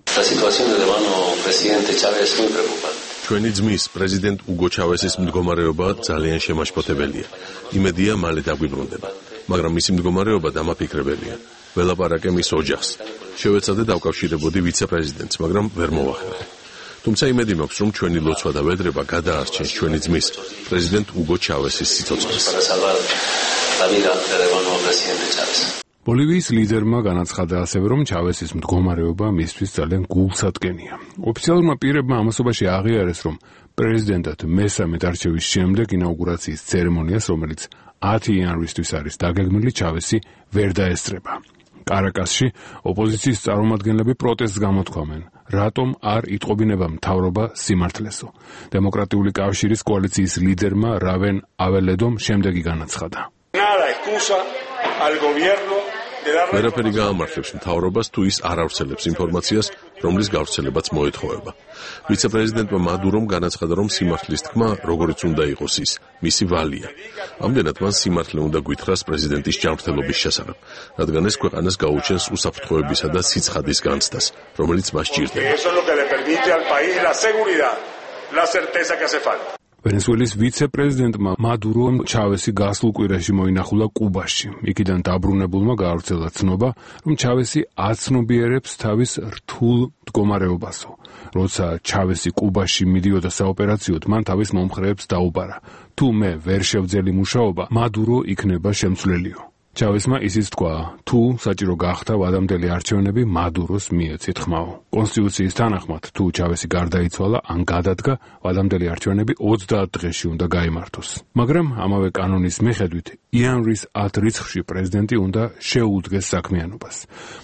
ჩვენი ძმის პრეზიდენტ უგო ჩავესის მდგომარეობა ძალიან შემაშფოთებელია. იმედია მალე დაგვიბრუნდება, მაგრამ მისი მდგომარეობა დამაფიქრებელია. ველაპარაკე მის ოჯახს. შევეცადე დავკავშირებოდი ვიცე-პრეზიდენტს, მაგრამ ვერ მოვახერხე. თუმცა იმედი მაქვს, რომ ჩვენი ლოცვა და ვედრება გადაარჩენს ჩვენი ძმის, პრეზიდენტ უგო ჩავესის სიცოცხლეს. ბოლივიის ლიდერმა განაცხადა ასევე, რომ ჩავესის მდგომარეობა მისთვის ძალიან გულსადგენია. ოფიციალურმა პირებმა ამასობაში აღიარეს, რომ პრეზიდენტად მესამე არჩევის შემდეგ ინაუგურაციის ცერემონიას, რომელიც ათი იანვრისთვის არის დაგეგმილი, ჩავესი ვერ დაესწრება. კარაკასში ოპოზიციის წარმომადგენლები პროტესტს გამოთქვამენ, რატომ არ იტყობინება მთავრობა სიმართლესო. დემოკრატიული კავშირის კოალიციის ლიდერმა რავენ აველედომ შემდეგი განაცხადა. ვერაფერი გაამართლებს მთავრობას, თუ ის არ ავრცელებს ინფორმაციას, რომლის გავრცელებაც მოეთხოვება. ვიცე-პრეზიდენტმა მადურომ განაცხადა, რომ სიმართლის თქმა, როგორიც უნდა იყოს ის, მისი ვალია. ამდენად მან სიმართლე უნდა გვითხრას პრეზიდენტის ჯანმრთელობის შესახებ, რადგან ეს ქვეყანას გაუჩენს უსაფრთხოებისა და სიცხადის განცდას, რომელიც მას ჭირდება. ვენესუელის ვიცე-პრეზიდენტმა მადურომ ჩავესი გასულ კვირაში მოინახულა კუბაში. იქიდან დაბრუნებულმა გაავრცელა ცნობა, რომ ჩავესი აცნობიერებს თავის რთულ მდგომარეობასო. როცა ჩავესი კუბაში მიდიოდა საოპერაციოდ, მან თავის მომხრეებს დაუბარა, თუ მე ვერ შევძელი მუშაობა, მადურო იქნება შემცვლელიო. ჩავესმა ისიც თქვა, თუ საჭირო გახდა ვადამდელი არჩევნები მადუროს მიეცით ხმაო. კონსტიტუციის თანახმად, თუ ჩავესი გარდაიცვალა ან გადადგა, ვადამდელი არჩევნები ოცდაათ დღეში უნდა გაიმართოს. მაგრამ ამავე კანონის მიხედვით, იანვრის ათ რიცხვში პრეზიდენტი უნდა შეუდგეს საქმიანობას.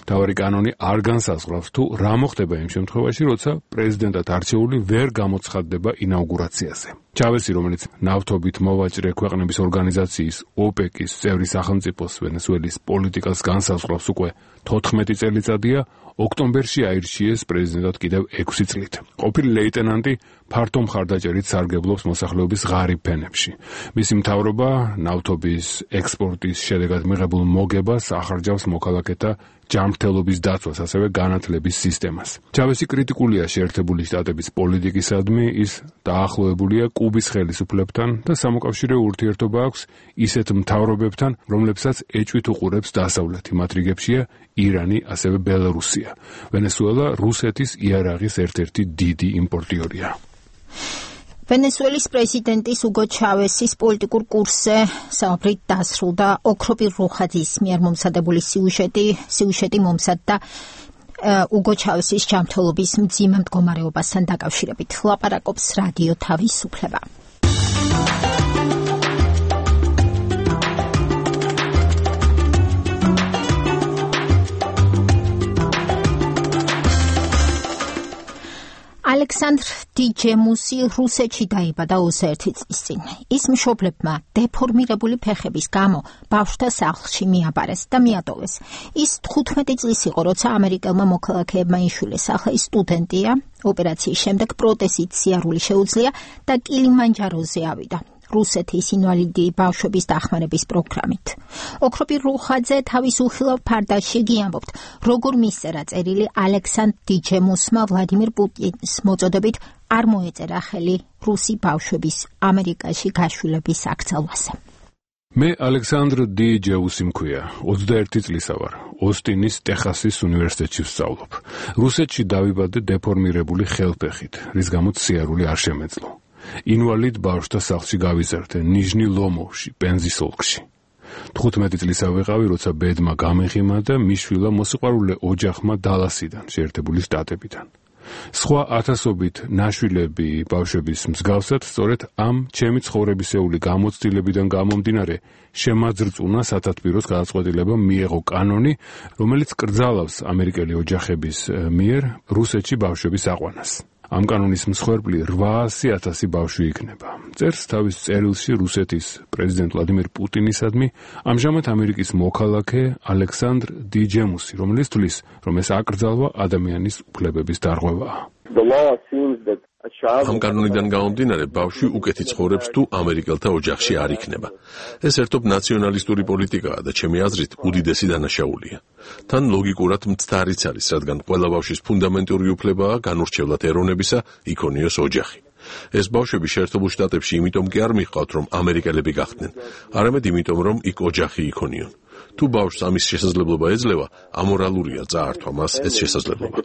მთავარი კანონი არ განსაზღვრავს, თუ რა მოხდება იმ შემთხვევაში, როცა პრეზიდენტად არჩეული ვერ გამოცხადდება ინაუგურაციაზე. ჩავესი, რომელიც ნავთობით მოვაჭრე ქვეყნების ორგანიზაციის ოპეკის წევრი სახელმწიფოს ვენესუელის პოლიტიკას განსაზღვრავს უკვე თოთხმეტი წელიწადია, ოქტომბერში აირჩიეს პრეზიდენტად კიდევ ექვსი წლით. ყოფილი ლეიტენანტი ფართო მხარდაჭერით სარგებლობს მოსახლეობის ღარიბ ფენებში. მისი მთავრობა ნავთობის ექსპორტის შედეგად მიღებულ მოგებას ახარჯავს მოქალაქეთა ჯანმრთელობის დაცვას, ასევე განათლების სისტემას. ჩავესი კრიტიკულია შეერთებული შტატების პოლიტიკისადმი, ის დაახლოებულია კუბის ხელისუფლებთან და სამოკავშირეო ურთიერთობა აქვს ისეთ მთავრობებთან, რომლებსაც ეჭვით უყურებს დასავლეთი, მათ რიგებშია ირანი, ასევე ბელარუსია. ვენესუელა რუსეთის იარაღის ერთ-ერთი დიდი იმპორტიორია. ვენესუელის პრეზიდენტის უგო ჩავესის პოლიტიკურ კურსზე საუბრით დასრულდა ოქროპირ რუხაძის მიერ მომზადებული სიუჟეტი, სიუჟეტი მომზადდა უგო ჩავესის ჯანმრთელობის მძიმე მდგომარეობასთან დაკავშირებით. ლაპარაკობს რადიო თავისუფლება. ალექსანდრ დიჯემუსი რუსეთში დაიბადა ოცდაერთი წლის წინ. ის მშობლებმა დეფორმირებული ფეხების გამო ბავშვთა სახლში მიაბარეს და მიატოვეს. ის თხუთმეტი წლის იყო, როცა ამერიკელმა მოქალაქეებმა იშვილეს. ახლა ის სტუდენტია, ოპერაციის შემდეგ პროტეზით სიარული შეუძლია და კილიმანჯაროზე ავიდა. რუსეთის ინვალიდი ბავშვების დახმარების პროგრამით. ოქროპირ რუხაძე თავის უხილავ ფარდაში გიამბობთ, როგორ მისწერა წერილი ალექსანდრ დიჯემუსმა ვლადიმირ პუტინის მოწოდებით არ მოეწერა ხელი რუსი ბავშვების ამერიკაში გაშვილების აკრძალვაზე. მე ალექსანდრ დიჯემუსი მქვია, ოცდაერთი წლისა ვარ. ოსტინის ტეხასის უნივერსიტეტში ვსწავლობ. რუსეთში დავიბადე დეფორმირებული ხელფეხით, რის გამოც სიარული არ შემეძლო. ინვალიდ ბავშვთა სახლში გავიზარდე, ნიჟნი ლომოვში, პენზის ოლქში. თხუთმეტი წლისა ვიყავი, როცა ბედმა გამეღიმა და მიშვილა მოსიყვარულე ოჯახმა დალასიდან, შეერთებული შტატებიდან. სხვა ათასობით ნაშვილები ბავშვების მსგავსად, სწორედ ამ ჩემი ცხოვრებისეული გამოცდილებიდან გამომდინარე, შემაძრწუნა სათათბიროს გადაწყვეტილება მიეღო კანონი, რომელიც კრძალავს ამერიკელი ოჯახების მიერ რუსეთში ბავშვების აყვანას. ამ კანონის მსხვერპლი რვაასი ათასი ბავშვი იქნება. წერს თავის წერილში რუსეთის პრეზიდენტ ვლადიმირ პუტინისადმი ამჟამად ამერიკის მოქალაქე ალექსანდრ დიჯემუსი, რომელიც თვლის, რომ ეს აკრძალვა ადამიანის უფლებების დარღვევაა. ამ კანონიდან გამომდინარე, ბავშვი უკეთი ცხოვრებს თუ ამერიკელთა ოჯახში არ იქნება. ეს ერთობ ნაციონალისტური პოლიტიკაა და ჩემი აზრით უდიდესი დანაშაულია. თან ლოგიკურად მცდარიც არის, რადგან ყველა ბავშვის ფუნდამენტური უფლებაა განურჩევლად ეროვნებისა იქონიოს ოჯახი. ეს ბავშვები შეერთებულ შტატებში იმიტომ კი არ მიჰყავთ, რომ ამერიკელები გახდნენ, არამედ იმიტომ, რომ იქ ოჯახი იქონიონ. თუ ბავშვს ამის შესაძლებლობა ეძლევა, ამორალურია წაართვა მას ეს შესაძლებლობა.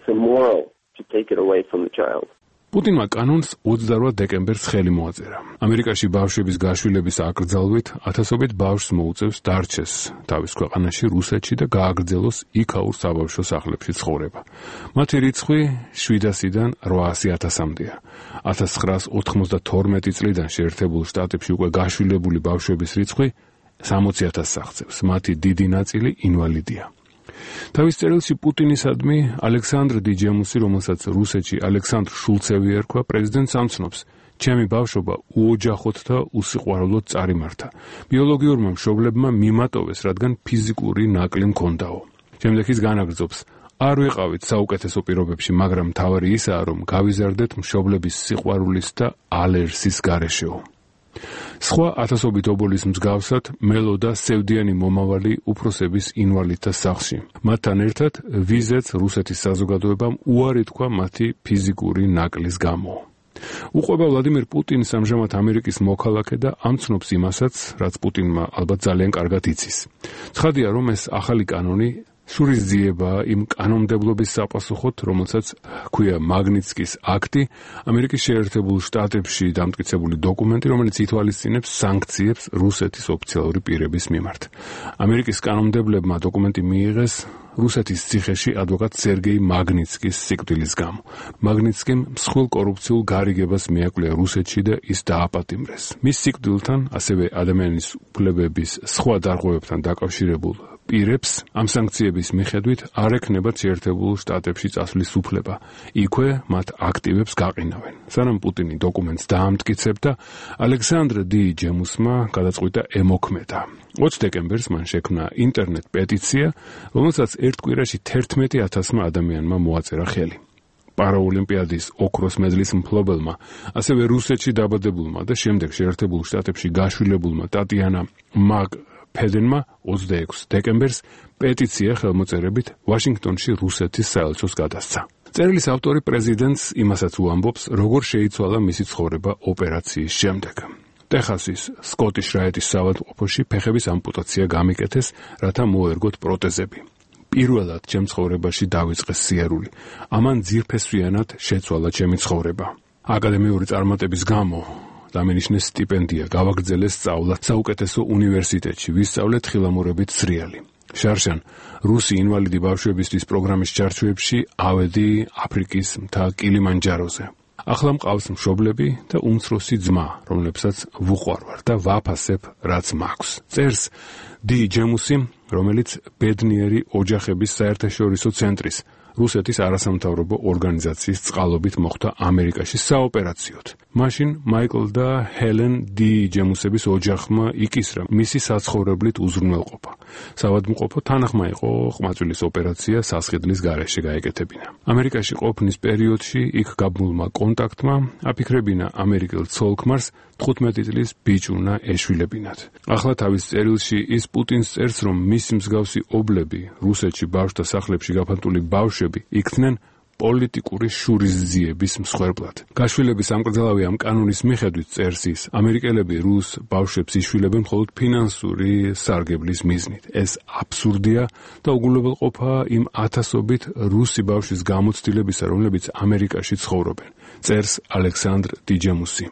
პუტინმა კანონს ოცდაორ დეკემბერს ხელი მოაწერა. ამერიკაში ბავშვების გაშვილების აკრძალვით ათასობით ბავშვს მოუწევს დარჩეს თავის ქვეყანაში, რუსეთში და გააგრძელოს იქაურ საბავშვო სახლებში ცხოვრება. მათი რიცხვი შვიდასიდან რვაასი ათასამდეა. ათას ცხრაას ოთხმოცდათორმეტი წლიდან შეერთებულ შტატებში უკვე გაშვილებული ბავშვების რიცხვი სამოცი ათასს აღწევს. მათი დიდი ნაწილი ინვალიდია. თავის წერილში პუტინისადმი ალექსანდრ დიჯემუსი, რომელსაც რუსეთში ალექსანდრ შულცევი ერქვა, პრეზიდენტს ამცნობს: ჩემი ბავშვობა უოჯახოდ და უსიყვარულოდ წარიმართა. ბიოლოგიურმა მშობლებმა მიმატოვეს, რადგან ფიზიკური ნაკლი მქონდაო. შემდეგ ის განაგრძობს: არ ვიყავით საუკეთესო პირობებში, მაგრამ მთავარი ისაა, რომ გავიზარდეთ მშობლების სიყვარულის და ალერსის გარეშეო. სხვა ათასობით ობოლის მსგავსად მელოდა სევდიანი მომავალი უფროსების ინვალიდთა სახლში. მათთან ერთად ვიზეც რუსეთის საზოგადოებამ უარი თქვა მათი ფიზიკური ნაკლის გამო. უყვება ვლადიმირ პუტინს ამჟამად ამერიკის მოქალაქე და ამცნობს იმასაც, რაც პუტინმა ალბათ ძალიან კარგად იცის. ცხადია, რომ ეს ახალი კანონი შურისძიებაა იმ კანონმდებლობის საპასუხოდ, რომელსაც ქვია მაგნიცკის აქტი, ამერიკის შეერთებულ შტატებში დამტკიცებული დოკუმენტი, რომელიც ითვალისწინებს სანქციებს რუსეთის ოფიციალური პირების მიმართ. ამერიკის კანონმდებლებმა დოკუმენტი მიიღეს რუსეთის ციხეში ადვოკატ სერგეი მაგნიცკის სიკვდილის გამო. მაგნიცკიმ მსხვილ კორუფციულ გარიგებას მიაკვლია რუსეთში და ის დააპატიმრეს. მის სიკვდილთან, ასევე ადამიანის უფლებების სხვა დარღვევებთან დაკავშირებულ პირებს ამ სანქციების მიხედვით არ ექნებათ შეერთებულ შტატებში წასვლის უფლება. იქვე მათ აქტივებს გაყინავენ. სანამ პუტინი დოკუმენტს დაამტკიცებდა, ალექსანდრ დიჯემუსმა გადაწყვიტა ემოქმედა. ოცი დეკემბერს მან შექმნა ინტერნეტ პეტიცია, რომელსაც ერთ კვირაში თერთმეტი ათასმა ადამიანმა მოაწერა ხელი. პარაოლიმპიადის ოქროს მედლის მფლობელმა, ასევე რუსეთში დაბადებულმა და შემდეგ შეერთებულ შტატებში გაშვილებულმა ტატიანა მაგ ფედენმა ოცდაექვსი დეკემბერს პეტიცია ხელმოწერებით ვაშინგტონში რუსეთის საელჩოს გადასცა. წერილის ავტორი პრეზიდენტს იმასაც უამბობს, როგორ შეიცვალა მისი ცხოვრება ოპერაციის შემდეგ. ტეხასის სკოტის რაიტის საავადმყოფოში ფეხების ამპუტაცია გამიკეთეს, რათა მოერგოთ პროტეზები. პირველად ჩემ ცხოვრებაში დავიწყეს სიარული. ამან ძირფესვიანად შეცვალა ჩემი ცხოვრება. აკადემიური წარმატების გამო დამენიშნეს სტიპენდია, გავაგრძელეს სწავლა საუკეთესო უნივერსიტეტში, ვისწავლე თხილამურებით სრიალი. შარშან რუსი ინვალიდი ბავშვებისთვის პროგრამის ჩარჩოებში ავედი აფრიკის მთა კილიმანჯაროზე. ახლა მყავს მშობლები და უმცროსი ძმა, რომლებსაც ვუყვარვარ და ვაფასებ, რაც მაქვს. წერს დიჯემუსი, რომელიც ბედნიერი ოჯახების საერთაშორისო ცენტრის რუსეთის არასამთავრობო ორგანიზაციის წყალობით მოხდა ამერიკაში საოპერაციოდ. მაშინ მაიკლ და ჰელენ დიჯემუსების ოჯახმა იკისრა მისი საცხოვრებლით უზრუნველყოფა. საავადმყოფო თანახმა იყო ყმაწვილის ოპერაცია სასხიდლის გარეშე გაეკეთებინა. ამერიკაში ყოფნის პერიოდში იქ გაბმულმა კონტაქტმა აფიქრებინა ამერიკელ ცოლ-ქმარს თხუთმეტი წლის ბიჭუნა ეშვილებინათ. ახლა თავის წერილში ის პუტინს წერს, რომ მისი მსგავსი ობლები რუსეთში ბავშვთა სახლებში გაფანტული ბავშვები იქნენ პოლიტიკური შურისძიების მსხვერპლად. გაშვილების ამკრძალავი ამ კანონის მიხედვით, წერს ის, ამერიკელები რუს ბავშვებს იშვილებენ მხოლოდ ფინანსური სარგებლის მიზნით. ეს აბსურდია და უგულებელყოფა იმ ათასობით რუსი ბავშვის გამოცდილებისა, რომლებიც ამერიკაში ცხოვრობენ. წერს ალექსანდრ დიჯემუსი.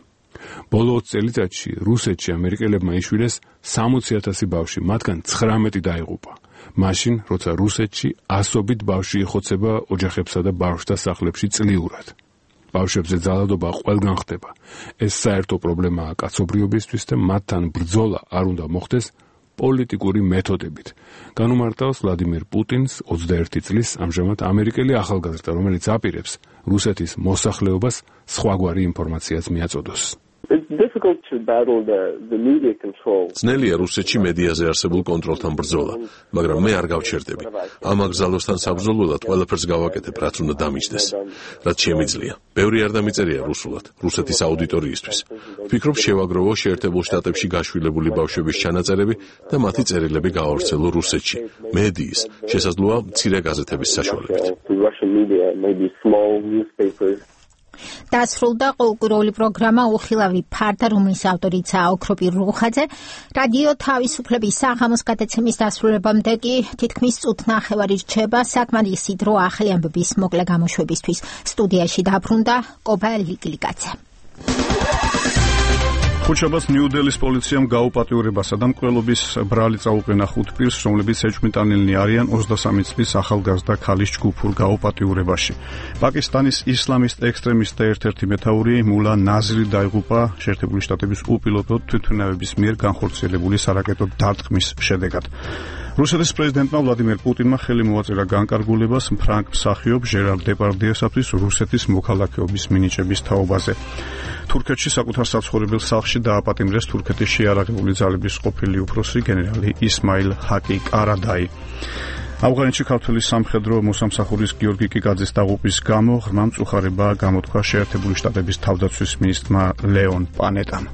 ბოლო ოცი წელიწადში რუსეთში ამერიკელებმა იშვილეს სამოცი ათასი ბავშვი, მათგან ცხრამეტი დაიღუპა. მაშინ, როცა რუსეთში ასობით ბავშვი იხოცება ოჯახებსა და ბავშვთა სახლებში წლიურად. ბავშვებზე ძალადობა ყველგან ხდება. ეს საერთო პრობლემაა კაცობრიობისთვის და მათთან ბრძოლა არ უნდა მოხდეს პოლიტიკური მეთოდებით. განუმარტავს ვლადიმირ პუტინს ოცდაერთი წლის ამჟამად ამერიკელი ახალგაზრდა, რომელიც აპირებს რუსეთის მოსახლეობას სხვაგვარი ინფორმაციაც მიაწოდოს. ძნელია რუსეთში მედიაზე არსებულ კონტროლთან ბრძოლა, მაგრამ მე არ გავჩერდები. ამ აკრძალვასთან საბრძოლველად ყველაფერს გავაკეთებ, რაც უნდა დამიჯდეს, რაც შემიძლია. ბევრი არ დამიწერია რუსულად, რუსეთის აუდიტორიისთვის. ვფიქრობ, შევაგროვო შეერთებულ შტატებში გაშვილებული ბავშვების ჩანაწერები და მათი წერილები გავავრცელო რუსეთში, მედიის, შესაძლოა მცირე გაზეთების საშუალებით. დასრულდა კულტურული პროგრამა უხილავი ფარდა, რომლის ავტორიცაა ოქროპი რუხაძე. რადიო თავისუფლების საღამოს გადაცემის დასრულებამდე კი თითქმის წუთნახევარი რჩება საკმარისი დრო ახალი ამბების მოკლე გამოშვებისთვის. სტუდიაში დაბრუნდა კობა ლიგლიგაძე. ხუთშაბათს ნიუ-დელის პოლიციამ გაუპატიურებასა და მკვლელობის ბრალი წაუყენა ხუთ პირს, რომლებიც ეჭვმიტანილნი არიან ოცდასამი წლის ახალგაზრდა ქალის ჯგუფურ გაუპატიურებაში. პაკისტანის ისლამისტ ექსტრემისტთა ერთ-ერთი მეთაური მულა ნაზრი დაიღუპა შეერთებული შტატების უპილოტო თვითმფრინავების მიერ განხორციელებული სარაკეტო დარტყმის შედეგად. რუსეთის პრეზიდენტმა ვლადიმერ პუტინმა ხელი მოაწერა განკარგულებას ფრანგ მსახიობ ჟერარ დეპარდიესათვის რუსეთის მოქალაქეობის მინიჭების თაობაზე. თურქეთში საკუთარ საცხოვრებელ სახლში დააპატიმრეს თურქეთის შეიარაღებული ძალების ყოფილი უფროსი გენერალი ისმაილ ჰაკი კარადაი. ავღანეთში ქართული სამხედრო მოსამსახურის გიორგი კიკაძის დაღუპვის გამო ღრმა მწუხარება გამოთქვა შეერთებული შტატების თავდაცვის მინისტრმა ლეონ პანეტამ.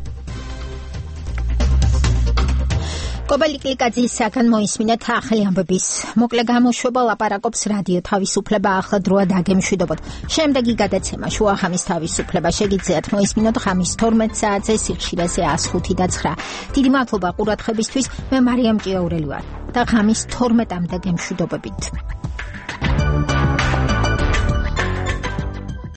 კობა ლიგლიგაძისაგან მოისმინეთ ახალი ამბების მოკლე გამოშვება. ლაპარაკობს რადიო თავისუფლება. ახლა დროა დაგემშვიდობოთ. შემდეგი გადაცემა შუახამის თავისუფლება შეგიძლიათ მოისმინოთ ღამის თორმეტ საათზე სიხშირეზე ას ხუთი და ცხრა. დიდი მადლობა ყურადღებისთვის. მე მარიამ ჭიაურელი ვარ და ღამის თორმეტამდე გემშვიდობებით.